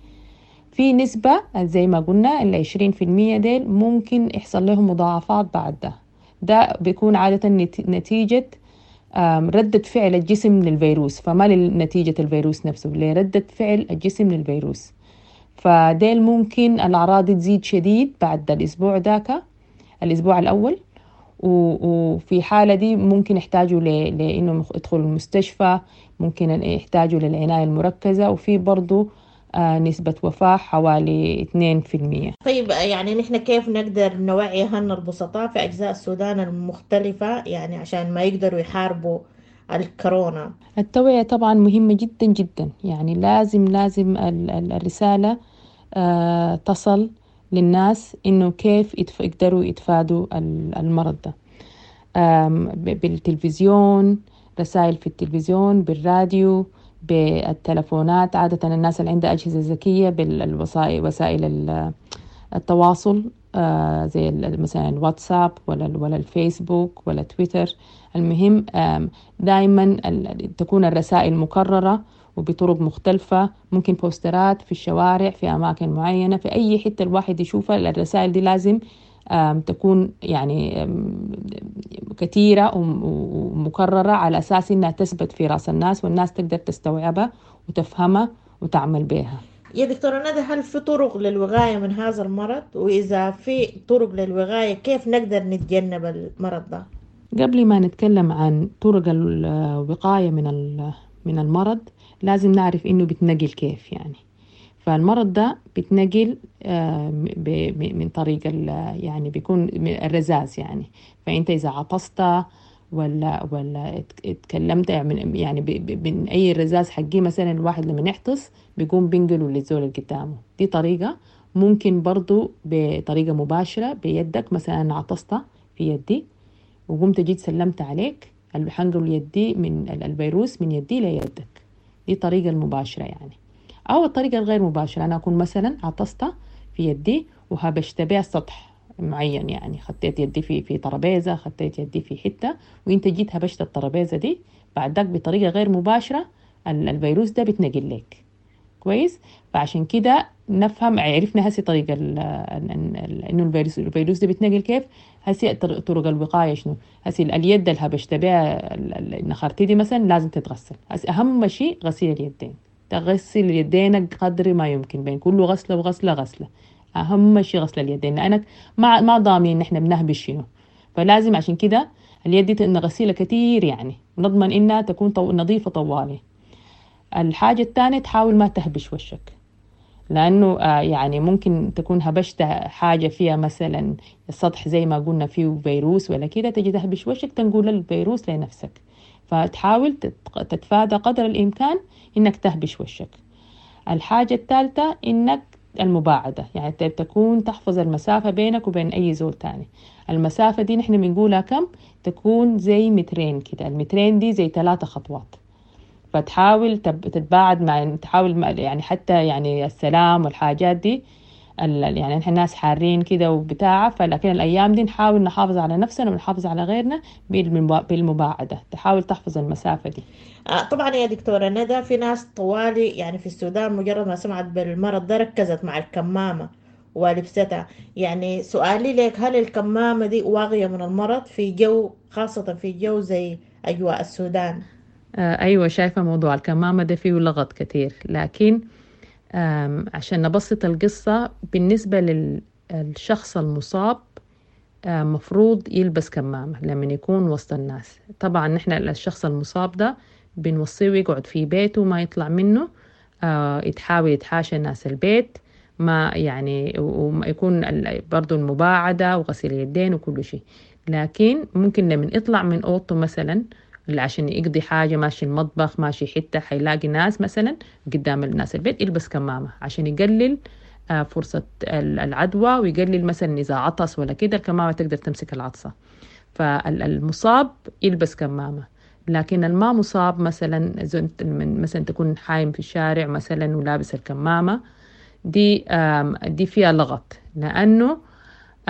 في نسبة زي ما قلنا ال عشرين في المية ديل ممكن يحصل لهم مضاعفات بعد ده. ده بيكون عادة نت-، نتيجة، آم، ردة فعل الجسم للفيروس، فما لنتيجة الفيروس نفسه، لردة فعل الجسم للفيروس. فديل ممكن الأعراض تزيد شديد بعد الأسبوع داك، الأسبوع الأول، و-، وفي حالة دي ممكن يحتاجوا ل-، لإنهم يخ-، يدخلوا المستشفى، ممكن يحتاجوا للعناية المركزة، وفي برضو، آه، نسبة وفاة حوالي اثنين في المية. طيب يعني نحن كيف نقدر نوعي أهلنا البسطاء في أجزاء السودان المختلفة يعني عشان ما يقدروا يحاربوا الكورونا؟ التوعية طبعا مهمة جدا جدا، يعني لازم، لازم ال-، ال-، الرسالة، آه، تصل للناس إنه كيف يتف-، يقدروا يتفادوا ال-، المرض ده. آم، ب-، بالتلفزيون، رسائل في التلفزيون، بالراديو، بالتلفونات. عادة الناس اللي عندها أجهزة ذكية بالوسائل، وسائل ال-، التواصل، آه، زي ال-، مثلا الواتساب ولا ال-، ولا الفيسبوك ولا تويتر. المهم، آم، دايما ال-، تكون الرسائل مكررة وبطرق مختلفة، ممكن بوسترات في الشوارع، في أماكن معينة، في أي حتة الواحد يشوفها. الرسائل دي لازم، آم، تكون يعني، آم، كثيرة وم-، ومكررة على أساس إنها تثبت في رأس الناس والناس تقدر تستوعبها وتفهمها وتعمل بها. يا دكتورة ندى، هل في طرق للوقاية من هذا المرض؟ وإذا في طرق للوقاية كيف نقدر نتجنب المرض ده؟ قبل ما نتكلم عن طرق الوقاية من ال-، من المرض لازم نعرف إنه بيتنقل كيف. يعني فالمرض ده بيتنقل، آه، ب-، ب-، من طريق ال-، يعني بيكون من الرذاذ. يعني فأنت إذا عطست ولا، ولا ات-، اتكلمت من، يعني ب-، ب-، من أي رذاذ حقي، مثلا الواحد لما يعطس بيقوم بينقله للزول اللي قدامه. دي طريقة. ممكن برضو بطريقة مباشرة بيدك، مثلا عطست في يدي وقمت جيت سلمت عليك، حنقل يدي من ال-، الفيروس من يدي ليدك. دي الطريقة المباشرة يعني. أو الطريقة الغير مباشرة، أنا أكون مثلا عطست في يدي وهبشت بها سطح معين، يعني خطيت يدي في، في ترابيزة، خطيت يدي في حتة، وإنت جيت هبشت الترابيزة دي، بعد ذاك بطريقة غير مباشرة ال-، الفيروس ده بيتنقل لك. كويس؟ فعشان كده نفهم، عرفنا هسي طريقة ال-، ال-، ال-، إنه الفيروس، الفيروس ده بيتنقل كيف. هسي طر-، طرق الوقاية شنو؟ هسي ال-، اليد اللي هبشت بها ال-، ال-، النخرتي دي مثلا لازم تتغسل. هسي أهم شيء غسيل اليدين، تغسل يدينك قدر ما يمكن، بين كل غسلة وغسلة غسلة. أهم شيء غسل اليدين، لأنك ما، ما ضامنين إن إحنا بنهبش شنو، فلازم عشان كده اليد دي نغسلها كتير، يعني نضمن إنها تكون طو-، نظيفة طوالي. الحاجة الثانية تحاول ما تهبش وشك، لأنه، آه، يعني ممكن تكون هبشت حاجة فيها مثلا السطح زي ما قلنا فيه فيروس ولا كده، تجي تهبش وشك تنقل الفيروس لنفسك. فتحاول تت-، تتفادى قدر الإمكان إنك تهبش وشك. الحاجة الثالثة إنك المباعدة، يعني ت-، تكون تحفظ المسافة بينك وبين أي زول تاني. المسافة دي نحن بنقولها كم؟ تكون زي مترين كده، المترين دي زي ثلاثة خطوات. فتحاول تب-، تتباعد مع، تحاول مع، يعني حتى يعني السلام والحاجات دي، يعني نحن ناس حارين كده وبتاع، فلكن الأيام دي نحاول نحافظ على نفسنا ونحافظ على غيرنا بالمباعدة، تحاول تحفظ المسافة دي. طبعا يا دكتورة ندى، في ناس طوالي يعني في السودان مجرد ما سمعت بالمرض ده ركزت مع الكمامة ولبستها. يعني سؤالي لك، هل الكمامة دي واقية من المرض في جو، خاصة في جو زي أجواء السودان؟ آه أيوة، شايفة موضوع الكمامة ده فيه لغط كتير، لكن عشان نبسط القصة، بالنسبة للشخص المصاب مفروض يلبس كمامة لما يكون وسط الناس. طبعا نحن الشخص المصاب ده بنوصيه يقعد في بيته ما يطلع منه، يتحاول يتحاشى ناس البيت، ما يعني ويكون برضو المباعدة وغسيل اليدين وكل شيء. لكن ممكن لما يطلع من أوضته مثلا عشان يقضي حاجة، ماشي المطبخ، ماشي حتة حيلاقي ناس مثلا قدام الناس البيت، يلبس كمامة عشان يقلل فرصة العدوى، ويقلل مثلا إذا عطس ولا كده الكمامة تقدر تمسك العطسة. فالمصاب يلبس كمامة، لكن الما مصاب مثلا مثلا تكون حايم في الشارع مثلا ولابس الكمامة دي، دي فيها لغط، لأنه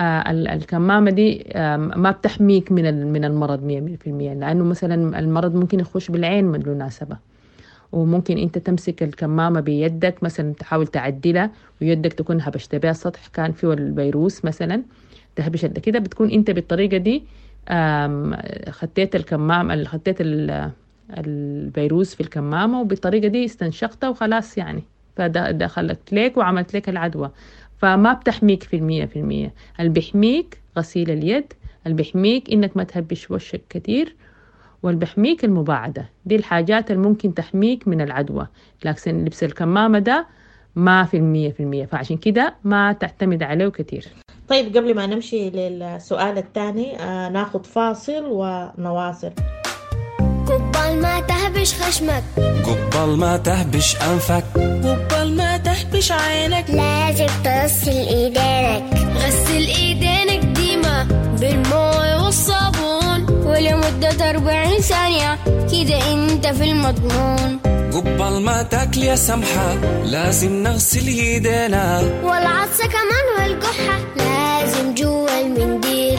الكمامة دي ما بتحميك من من المرض مية في المية، لأنه مثلا المرض ممكن يخش بالعين بالمناسبة، وممكن أنت تمسك الكمامة بيدك مثلا تحاول تعدلها ويدك تكون هبشت بها السطح كان فيه الفيروس مثلا، تهبش كده، بتكون أنت بالطريقة دي خطيت الكمامة، خطيت الفيروس في الكمامة، وبالطريقة دي استنشقتها وخلاص يعني، فدخلت لك وعملت لك العدوى. فما بتحميك في المية في المية. اللي بيحميك غسيل اليد، اللي بيحميك إنك ما تهبش وشك كتير، واللي بيحميك المباعدة. دي الحاجات اللي ممكن تحميك من العدوى، لكن لبس الكمامة ده ما في المية في المية، فعشان كده ما تعتمد عليه كتير. طيب قبل ما نمشي للسؤال الثاني آه ناخد فاصل ونواصل. قبل ما تهبش خشمك، قبل ما تهبش أنفك، قبل ما تهبش عينك، لازم تغسل ايدينك. غسل ايدينك ديما بالمويه والصابون، ولمدة أربعين ثانية كده انت في المضمون. قبل ما تاكل يا سمحة لازم نغسل ايدينا، والعطسة كمان والقحة لازم جوا المنديل.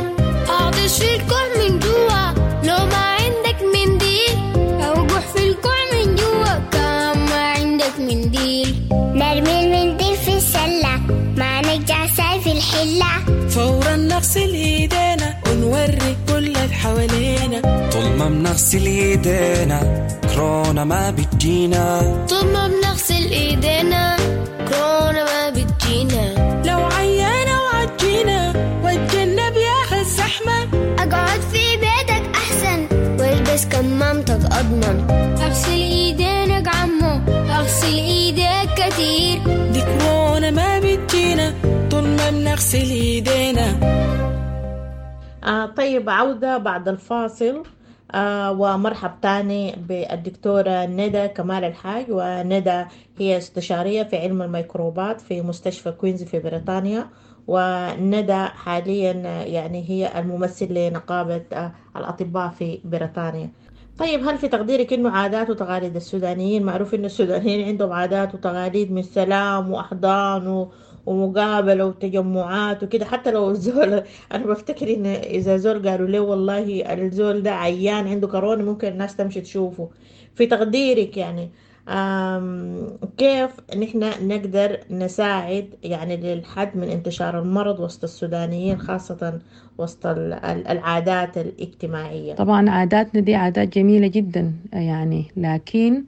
اعطش في الكوع من جوا لو ما عندك منديل، او قح في الكوع من جوا كان ما عندك منديل. نرمي المنديل في السلة ما نرجع ساي في الحلة، فورا نغسل ايدينا ونوري كل اللي حوالينا. طول ما بنغسل ايدينا كورونا ما بتجينا، طول ما بنغسل ايدينا كورونا ما بتجينا. لو عيانا وعجينا واتجنب يا الزحمة، اقعد في بيتك احسن والبس كمامتك اضمن. اغسل ايدينك عمو، اغسل ايديك كتير، دي كورونا ما بتجينا طول ما بنغسل ايدينا. آه طيب، عودة بعد الفاصل. آه ومرحب تاني بالدكتورة ندى كمال الحاج. وندى هي استشارية في علم الميكروبات في مستشفى كوينز في بريطانيا، وندى حاليا يعني هي الممثل لنقابة آه الأطباء في بريطانيا. طيب، هل في تقديرك إنه عادات وتقاليد السودانيين، معروف إنه السودانيين عندهم عادات وتقاليد من سلام وأحضان و ومقابلة وتجمعات وكده، حتى لو الزول أنا بفتكر إن إذا زول قالوا له والله الزول ده عيان عنده كورونا ممكن الناس تمشي تشوفه. في تقديرك يعني كيف نحن نقدر نساعد يعني للحد من انتشار المرض وسط السودانيين، خاصة وسط العادات الاجتماعية؟ طبعا عاداتنا دي عادات جميلة جدا يعني، لكن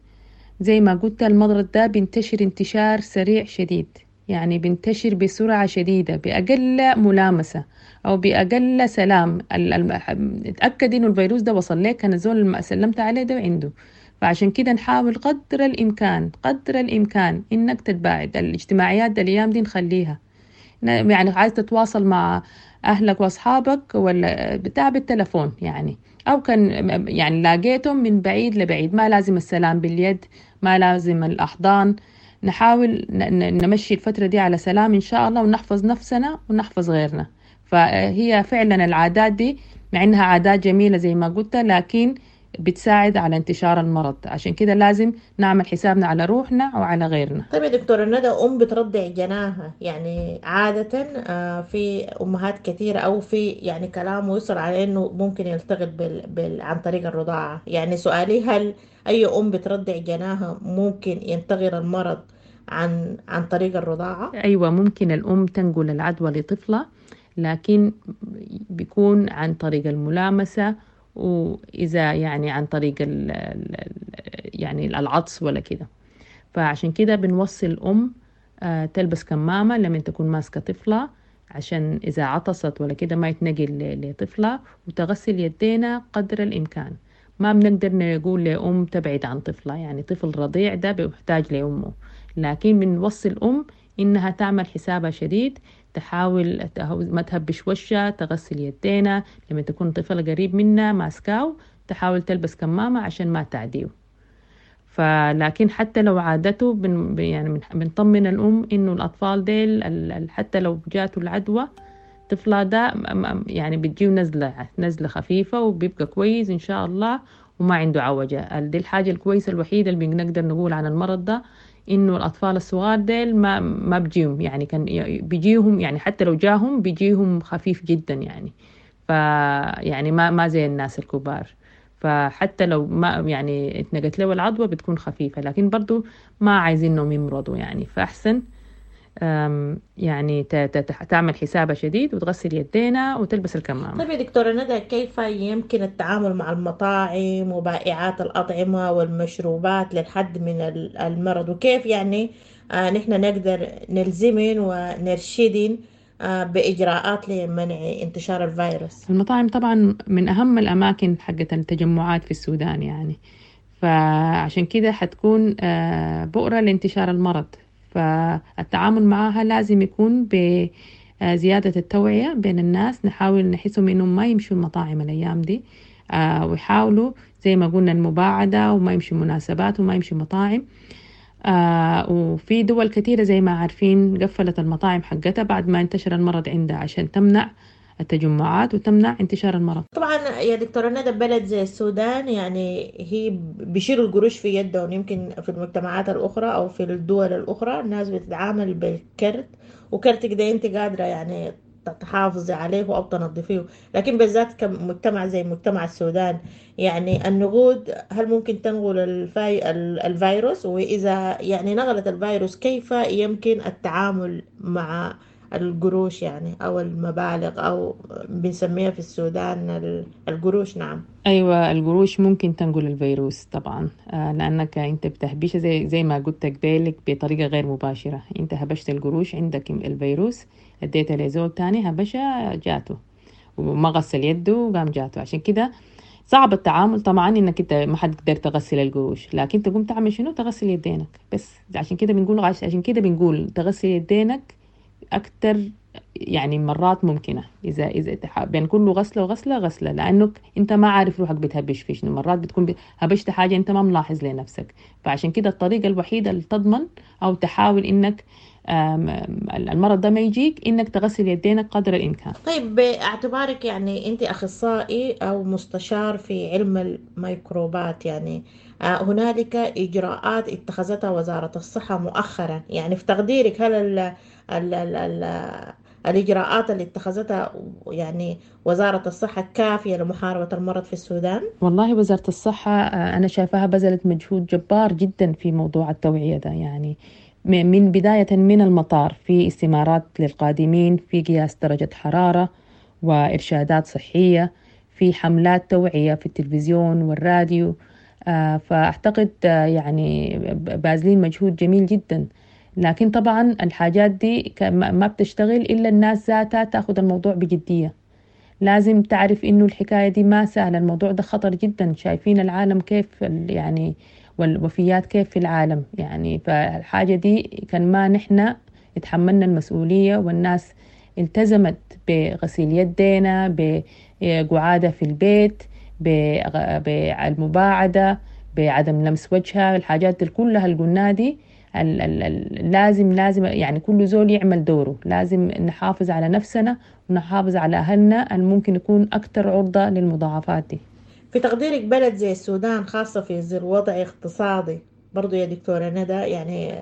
زي ما قلت المرض ده بينتشر انتشار سريع شديد، يعني بينتشر بسرعة شديدة بأقل ملامسة أو بأقل سلام. اتأكد إنه الفيروس ده وصل لك، كان الزول اللي سلمت عليه ده عنده. فعشان كده نحاول قدر الإمكان قدر الإمكان إنك تتباعد. الاجتماعيات ده الأيام دي نخليها، يعني عايز تتواصل مع أهلك وأصحابك ولا بتاع بالتلفون يعني، أو كان يعني لاقيتهم من بعيد لبعيد، ما لازم السلام باليد، ما لازم الأحضان. نحاول نمشي الفترة دي على سلام إن شاء الله، ونحفظ نفسنا ونحفظ غيرنا. فهي فعلا العادات دي مع إنها عادات جميلة زي ما قلت، لكن بتساعد على انتشار المرض. عشان كده لازم نعمل حسابنا على روحنا وعلى غيرنا. طيب يا دكتورة ندى، أم بترضع جناها، يعني عادة آه، في أمهات كثيرة أو في يعني كلام وصل على إنه ممكن يلتقط بال... بال... عن طريق الرضاعة. يعني سؤالي، هل أي أم بترضع جناها ممكن ينتقل المرض عن عن طريق الرضاعة؟ أيوة، ممكن الأم تنقل العدوى لطفلة، لكن بيكون عن طريق الملامسة، وإذا يعني عن طريق ال ال يعني العطس ولا كده. فعشان كده بنوصي الأم آه، تلبس كمامة لما تكون ماسكة طفلة، عشان إذا عطست ولا كده ما يتنقل لطفلة، وتغسل يدينا قدر الإمكان. ما بنقدر نقول لأم تبعد عن طفلة، يعني طفل رضيع ده بيحتاج لأمه، لكن بنوصي الأم إنها تعمل حسابها شديد، تحاول ما تهبش وشها، تغسل يدينا لما تكون طفلة قريب منا ماسكاو، تحاول تلبس كمامة عشان ما تعديه. فلكن حتى لو عادته بن يعني بنطمن الأم إنه الأطفال ديل حتى لو جاته العدوى طفلة ده يعني بتجيه نزلة نزلة خفيفة وبيبقى كويس إن شاء الله وما عنده عوجة. دي الحاجة الكويسة الوحيدة اللي بنقدر نقول عن المرض ده، إنه الأطفال الصغار ديل ما ما بيجيهم، يعني كان بيجيهم يعني حتى لو جاهم بيجيهم خفيف جدا يعني، ف يعني ما ما زي الناس الكبار. فحتى لو ما يعني اتنقلت له العدوى بتكون خفيفة، لكن برضو ما عايزينهم يمرضوا يعني، فأحسن يعني تعمل حسابها شديد وتغسل يدينا وتلبس الكمامة. طيب يا دكتورة ندى، كيف يمكن التعامل مع المطاعم وبائعات الأطعمة والمشروبات للحد من المرض، وكيف يعني آه نحن نقدر نلزمن ونرشدن آه بإجراءات لمنع انتشار الفيروس؟ المطاعم طبعا من أهم الأماكن حقت التجمعات في السودان يعني، فعشان كده حتكون آه بؤرة لانتشار المرض، فالتعامل معها لازم يكون بزيادة التوعية بين الناس. نحاول نحسهم إنهم ما يمشوا المطاعم الأيام دي، ويحاولوا زي ما قلنا المباعدة، وما يمشوا مناسبات وما يمشوا مطاعم. وفي دول كثيرة زي ما عارفين قفلت المطاعم حقتها بعد ما انتشر المرض عندها عشان تمنع التجمعات وتمنع انتشار المرض. طبعا يا دكتورة ندى، بلد زي السودان يعني هي بيشيلوا القروش في يدهم، يمكن في المجتمعات الأخرى أو في الدول الأخرى الناس بتتعامل بالكرت، وكرتك ده أنت قادرة يعني تحافظي عليه أو تنظفيه، لكن بالذات كمجتمع زي مجتمع السودان يعني النقود هل ممكن تنقل الفاي... الفيروس؟ وإذا يعني نقلت الفيروس كيف يمكن التعامل مع القروش يعني أو المبالغ أو بنسميها في السودان القروش؟ نعم أيوة، القروش ممكن تنقل الفيروس طبعا، لأنك أنت بتهبشها زي, زي ما قلت قبلك بطريقة غير مباشرة. أنت هبشت القروش عندك الفيروس، اديتها لزول تاني هبشها جاته وما غسل يده وقام جاته. عشان كده صعب التعامل طبعا، انك انت ما حتقدر تغسل القروش، لكن تقوم تعمل شنو؟ تغسل يدينك بس. عشان كده بنقول عشان كده بنقول تغسل يدينك أكتر يعني مرات ممكنة، إذا إذا بين كل غسلة وغسلة غسلة، لأنك أنت ما عارف روحك بتهبش في شنو. مرات بتكون هبشت حاجة أنت ما ملاحظ لنفسك. فعشان كده الطريقة الوحيدة اللي تضمن أو تحاول إنك المرض ده ما يجيك إنك تغسل يدينك قدر الإمكان. طيب باعتبارك يعني أنت أخصائي أو مستشار في علم الميكروبات، يعني هنالك إجراءات اتخذتها وزارة الصحة مؤخرا، يعني في تقديرك هل ال ال ال ال الإجراءات اللي اتخذتها يعني وزارة الصحة كافية لمحاربة المرض في السودان؟ والله وزارة الصحة أنا شايفاها بذلت مجهود جبار جدا في موضوع التوعية ده، يعني من بداية من المطار في استمارات للقادمين، في قياس درجة حرارة وإرشادات صحية، في حملات توعية في التلفزيون والراديو. فأعتقد يعني باذلين مجهود جميل جدا، لكن طبعا الحاجات دي ما بتشتغل إلا الناس ذاتها تأخذ الموضوع بجدية. لازم تعرف إنه الحكاية دي ما سهلة، الموضوع ده خطر جدا، شايفين العالم كيف يعني والوفيات كيف في العالم يعني. فالحاجة دي كان ما نحن اتحملنا المسؤولية والناس التزمت بغسيل يدينا، بقعادة في البيت، بالمباعدة، بعدم لمس وجهها، الحاجات دي كلها اللي قلناها دي ال ال ال لازم لازم يعني كل زول يعمل دوره. لازم نحافظ على نفسنا ونحافظ على أهلنا اللي ممكن يكون أكثر عرضة للمضاعفات دي. في تقديرك بلد زي السودان خاصة في ظل وضع اقتصادي برضو يا دكتورة ندى، يعني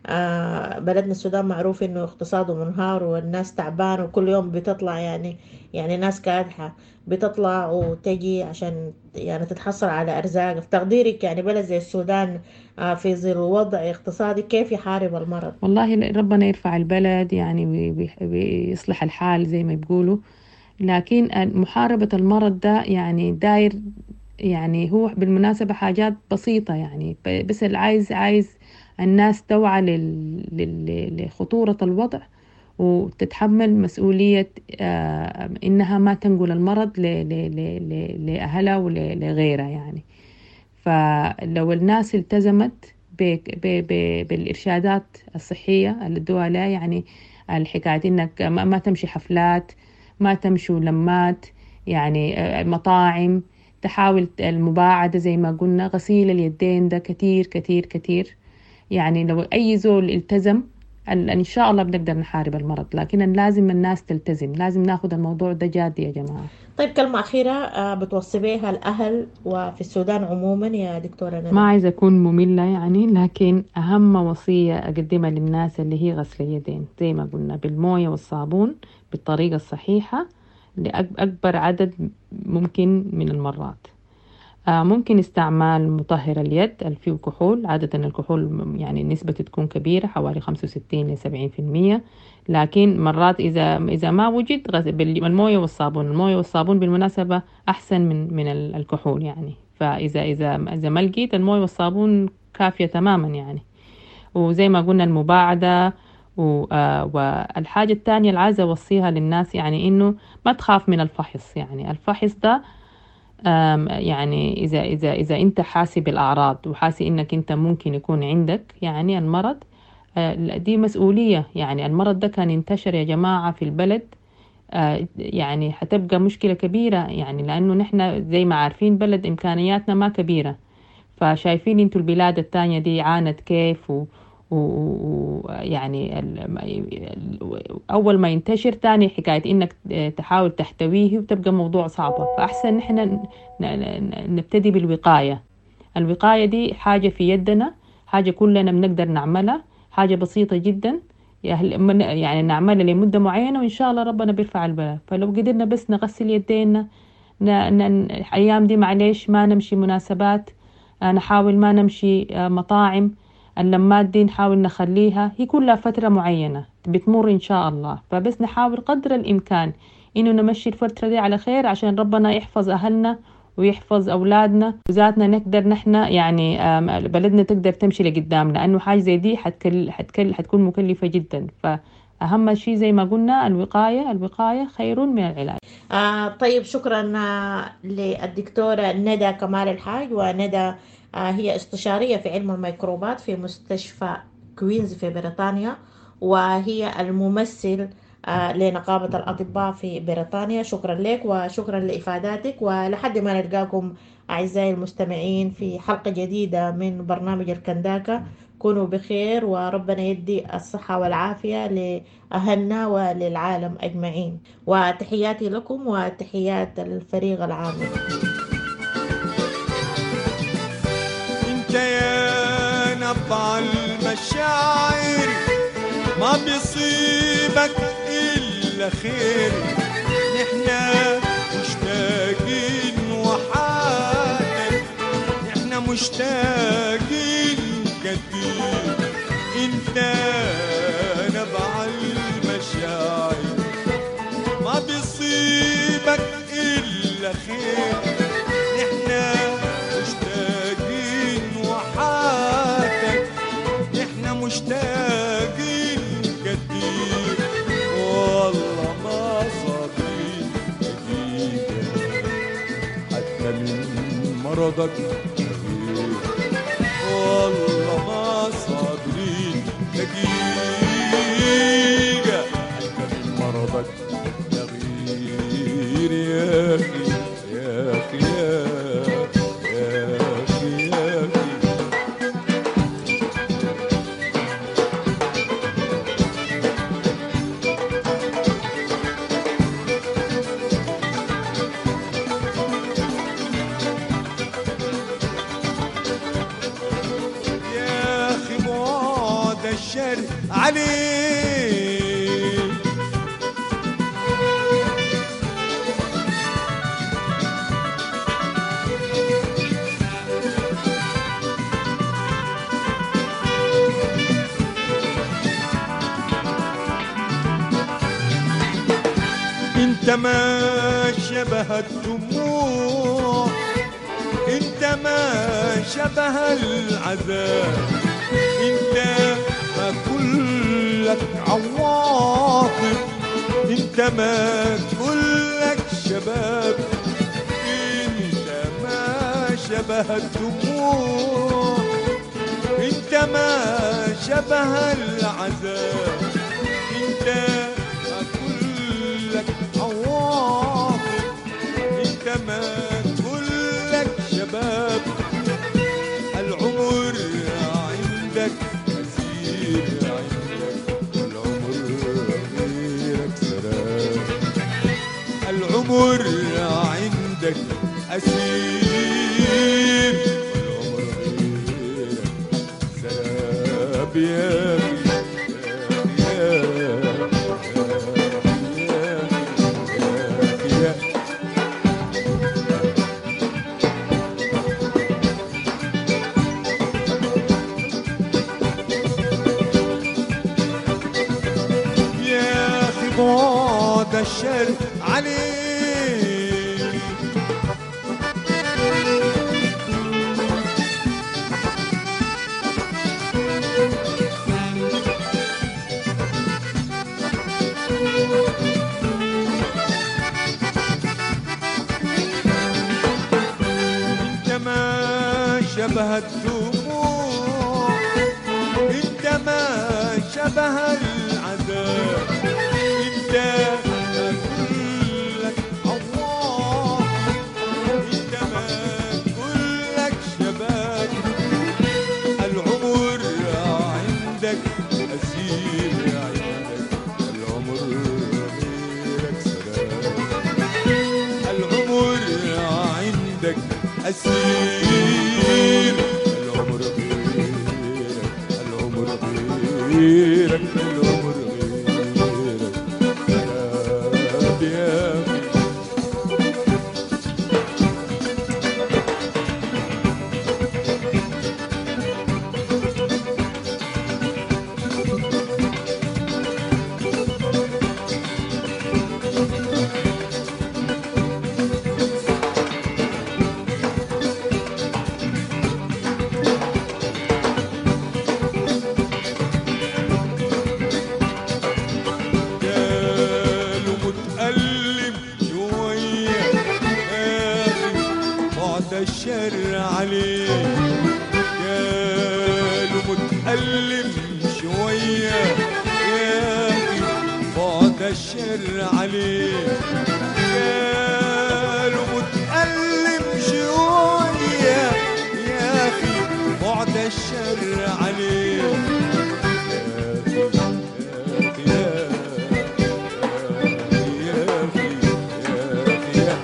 آه بلدنا السودان معروف انه اقتصاده منهار والناس تعبانة وكل يوم بتطلع يعني يعني ناس كادحة بتطلع وتجي عشان يعني تتحصل على ارزاق. في تقديرك يعني بلد زي السودان آه في ظل وضع اقتصادي كيف يحارب المرض؟ والله ربنا يرفع البلد يعني ويصلح الحال زي ما بيقولوا، لكن محاربة المرض ده يعني داير، يعني هو بالمناسبة حاجات بسيطة يعني، بس العايز عايز الناس توعى لخطورة الوضع وتتحمل مسؤولية إنها ما تنقل المرض لأهلها ولغيرها يعني. فلو الناس التزمت بالإرشادات الصحية اللي ادوها لها، يعني الحكاية إنك ما تمشي حفلات، ما تمشوا لمات، يعني مطاعم، تحاول المباعدة زي ما قلنا، غسيل اليدين ده كتير كتير كتير. يعني لو أي زول التزم إن شاء الله بنقدر نحارب المرض، لكن لازم الناس تلتزم، لازم ناخد الموضوع ده جاد يا جماعة. طيب كلمة أخيرة بتوصي بيها الأهل وفي السودان عموما يا دكتورة ندى؟ ما عايزة أكون مملة يعني، لكن أهم وصية أقدمها للناس اللي هي غسل اليدين زي ما قلنا بالموية والصابون بالطريقة الصحيحة لأكبر عدد ممكن من المرات. ممكن استعمال مطهر اليد اللي فيه كحول، عادة الكحول يعني نسبته تكون كبيرة حوالي خمسة وستين إلى سبعين في المية، لكن مرات إذا إذا ما وجد الموية والصابون، الموية والصابون بالمناسبة أحسن من من الكحول يعني، فإذا إذا إذا ما لقيت الموية والصابون كافية تماما يعني. وزي ما قلنا المباعدة. والحاجة الثانية اللي عايزة أوصيها للناس يعني إنه ما تخاف من الفحص، يعني الفحص ده يعني إذا إذا إذا أنت حاسي بالأعراض وحاسي إنك أنت ممكن يكون عندك يعني المرض، دي مسؤولية يعني. المرض ده كان انتشر يا جماعة في البلد يعني حتبقى مشكلة كبيرة يعني، لأنه نحن زي ما عارفين بلد إمكانياتنا ما كبيرة، فشايفين أنتوا البلاد التانية دي عانت كيف و ويعني أول ما ينتشر تاني حكاية إنك تحاول تحتويه وتبقى موضوع صعبة. فأحسن نحن نبتدي بالوقاية. الوقاية دي حاجة في يدنا، حاجة كلنا بنقدر نعملها، حاجة بسيطة جدا يعني نعملها لمدة معينة وإن شاء الله ربنا بيرفع البلاء. فلو قدرنا بس نغسل يدينا، الأيام دي معليش ما نمشي مناسبات، نحاول ما نمشي مطاعم، اللمات دي نحاول نخليها هي كلها فترة معينة بتمر إن شاء الله، فبس نحاول قدر الإمكان إنه نمشي الفترة دي على خير عشان ربنا يحفظ أهلنا ويحفظ أولادنا وذاتنا، نقدر نحن يعني بلدنا تقدر تمشي لقدام، لأنه حاجة زي دي حتكل حتكل حتكون مكلفة جدا. فأهم شيء زي ما قلنا الوقاية، الوقاية خير من العلاج. آه طيب شكرا للدكتورة ندى كمال الحاج. وندى هي استشارية في علم الميكروبات في مستشفى كوينز في بريطانيا، وهي الممثل لنقابة الأطباء في بريطانيا. شكرا لك وشكرا لإفاداتك، ولحد ما نلقاكم أعزائي المستمعين في حلقة جديدة من برنامج الكنداكة، كونوا بخير وربنا يدي الصحة والعافية لأهلنا وللعالم أجمعين، وتحياتي لكم وتحيات الفريق العامل. انت يا نبع المشاعر ما بيصيبك إلا خير، نحنا مشتاقين وحاتك، نحنا مشتاقين كتير. انت نبع المشاعر ما بيصيبك إلا خير، نحنا مشتاقين وحاتك، نحنا مشتاقين كتير. والله ما صابرين دقيقة حتى من مرضك غير، والله ما صابرين دقيقة حتى من مرضك غير. يا أخي يا أخي يا أخي يا أخي الشر عليك. انت ما شبه الدموع، انت ما شبه العذاب، انت ما كلك عواطف، انت ما كلك شباب، انت ما شبه الدموع، انت ما شبه العذاب، انت ما كلك عواطف، انت ما كلك شباب. العمر عندك أسير عندك، والعمر غيرك سراب. العمر عندك أسير، والعمر غيرك سراب. يا يا يا يا يا أخي بعد الشر عليك. انت ما شبه الدموع، انت ما شبه العذاب، انت ما كلك عواطف، انت ما كلك شباب. العمر عندك أسير عندك، العمر غيرك سراب. العمر عندك أسير، العمر غيرك، العمر غيرك، العمر غيرك سراب. يا أخي قالوا متألم شوية، يا أخي بعد الشر عليك. قالوا متألم شوية، يا أخي بعد الشر عليك. قالوا متألم شوية، يا أخي بعد الشر عليك. يا أخي يا أخي يا أخي يا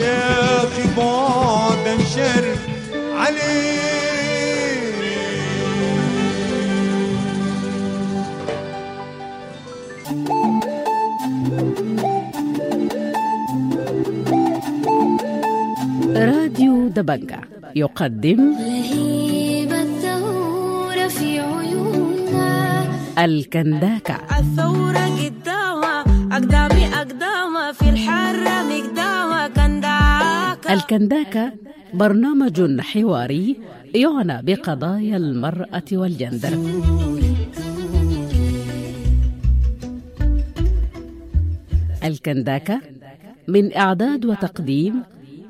يا أخي بعد الشر عليك. راديو دبنجة يقدم لهيب الثورة في عيوننا، الكنداكة. الثورة قدامها أقدامي أقدامها في الحرة مقدامها كنداكة. الكنداكة برنامج حواري يعنى بقضايا المرأة والجندر. الكنداكة من إعداد وتقديم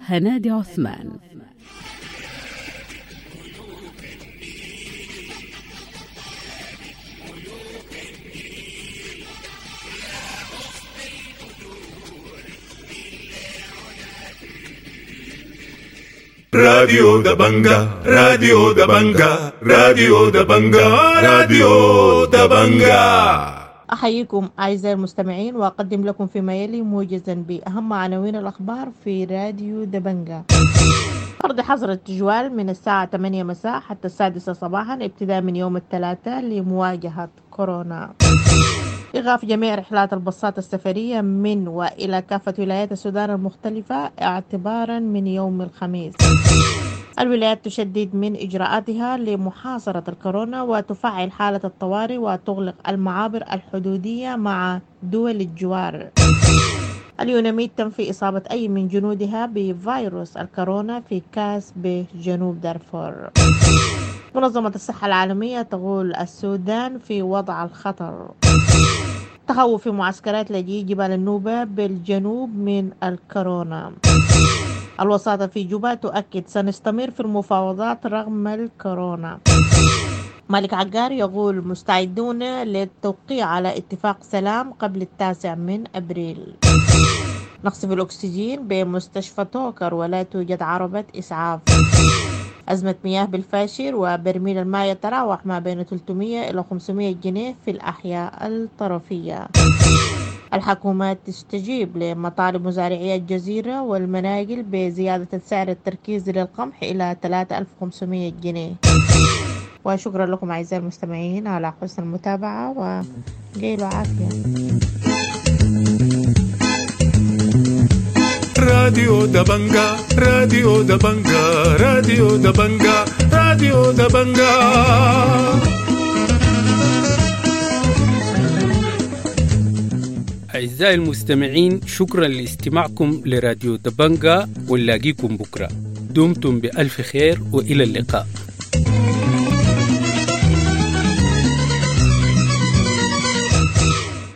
هنادي عثمان. راديو دبنجا، راديو دبنجا، راديو دبنجا، راديو دبنجا. أحييكم أعزائي المستمعين، وأقدم لكم فيما يلي موجزا بأهم عناوين الأخبار في راديو دبنجا. فرض حظر التجوال من الساعة ثمانية مساء حتى السادسة صباحا ابتداء من يوم الثلاثاء لمواجهة كورونا. إيقاف جميع رحلات الباصات السفرية من وإلى كافة ولايات السودان المختلفة اعتبارا من يوم الخميس. الولايات تشدد من إجراءاتها لمحاصرة الكورونا وتفعل حالة الطوارئ وتغلق المعابر الحدودية مع دول الجوار. اليوناميد تنفي إصابة أي من جنودها بفيروس الكورونا في كاس بجنوب دارفور. منظمة الصحة العالمية تقول السودان في وضع الخطر. تخوف في معسكرات لاجئي جبال النوبة بالجنوب من الكورونا. الوساطة في جوبا تؤكد سنستمر في المفاوضات رغم الكورونا. مالك عقار يقول مستعدون للتوقيع على اتفاق سلام قبل التاسع من أبريل. نقص في الأكسجين بمستشفى توكر ولا توجد عربة إسعاف. أزمة مياه بالفاشر وبرميل الماء يتراوح ما بين ثلاثمئة إلى خمسمئة جنيه في الأحياء الطرفية. الحكومات تستجيب لمطالب مزارعي الجزيرة والمناجل بزيادة السعر التركيزي للقمح إلى ثلاثة آلاف وخمسمئة جنيه. وشكرا لكم أعزائي المستمعين على حسن المتابعة وقيلوا عافية. راديو دبنجا، راديو دبنجا، راديو دبنجا، راديو دبنجا. أعزائي المستمعين، شكرا لاستماعكم لراديو دبنجا، ونلاقيكم بكرة. دمتم بألف خير وإلى اللقاء.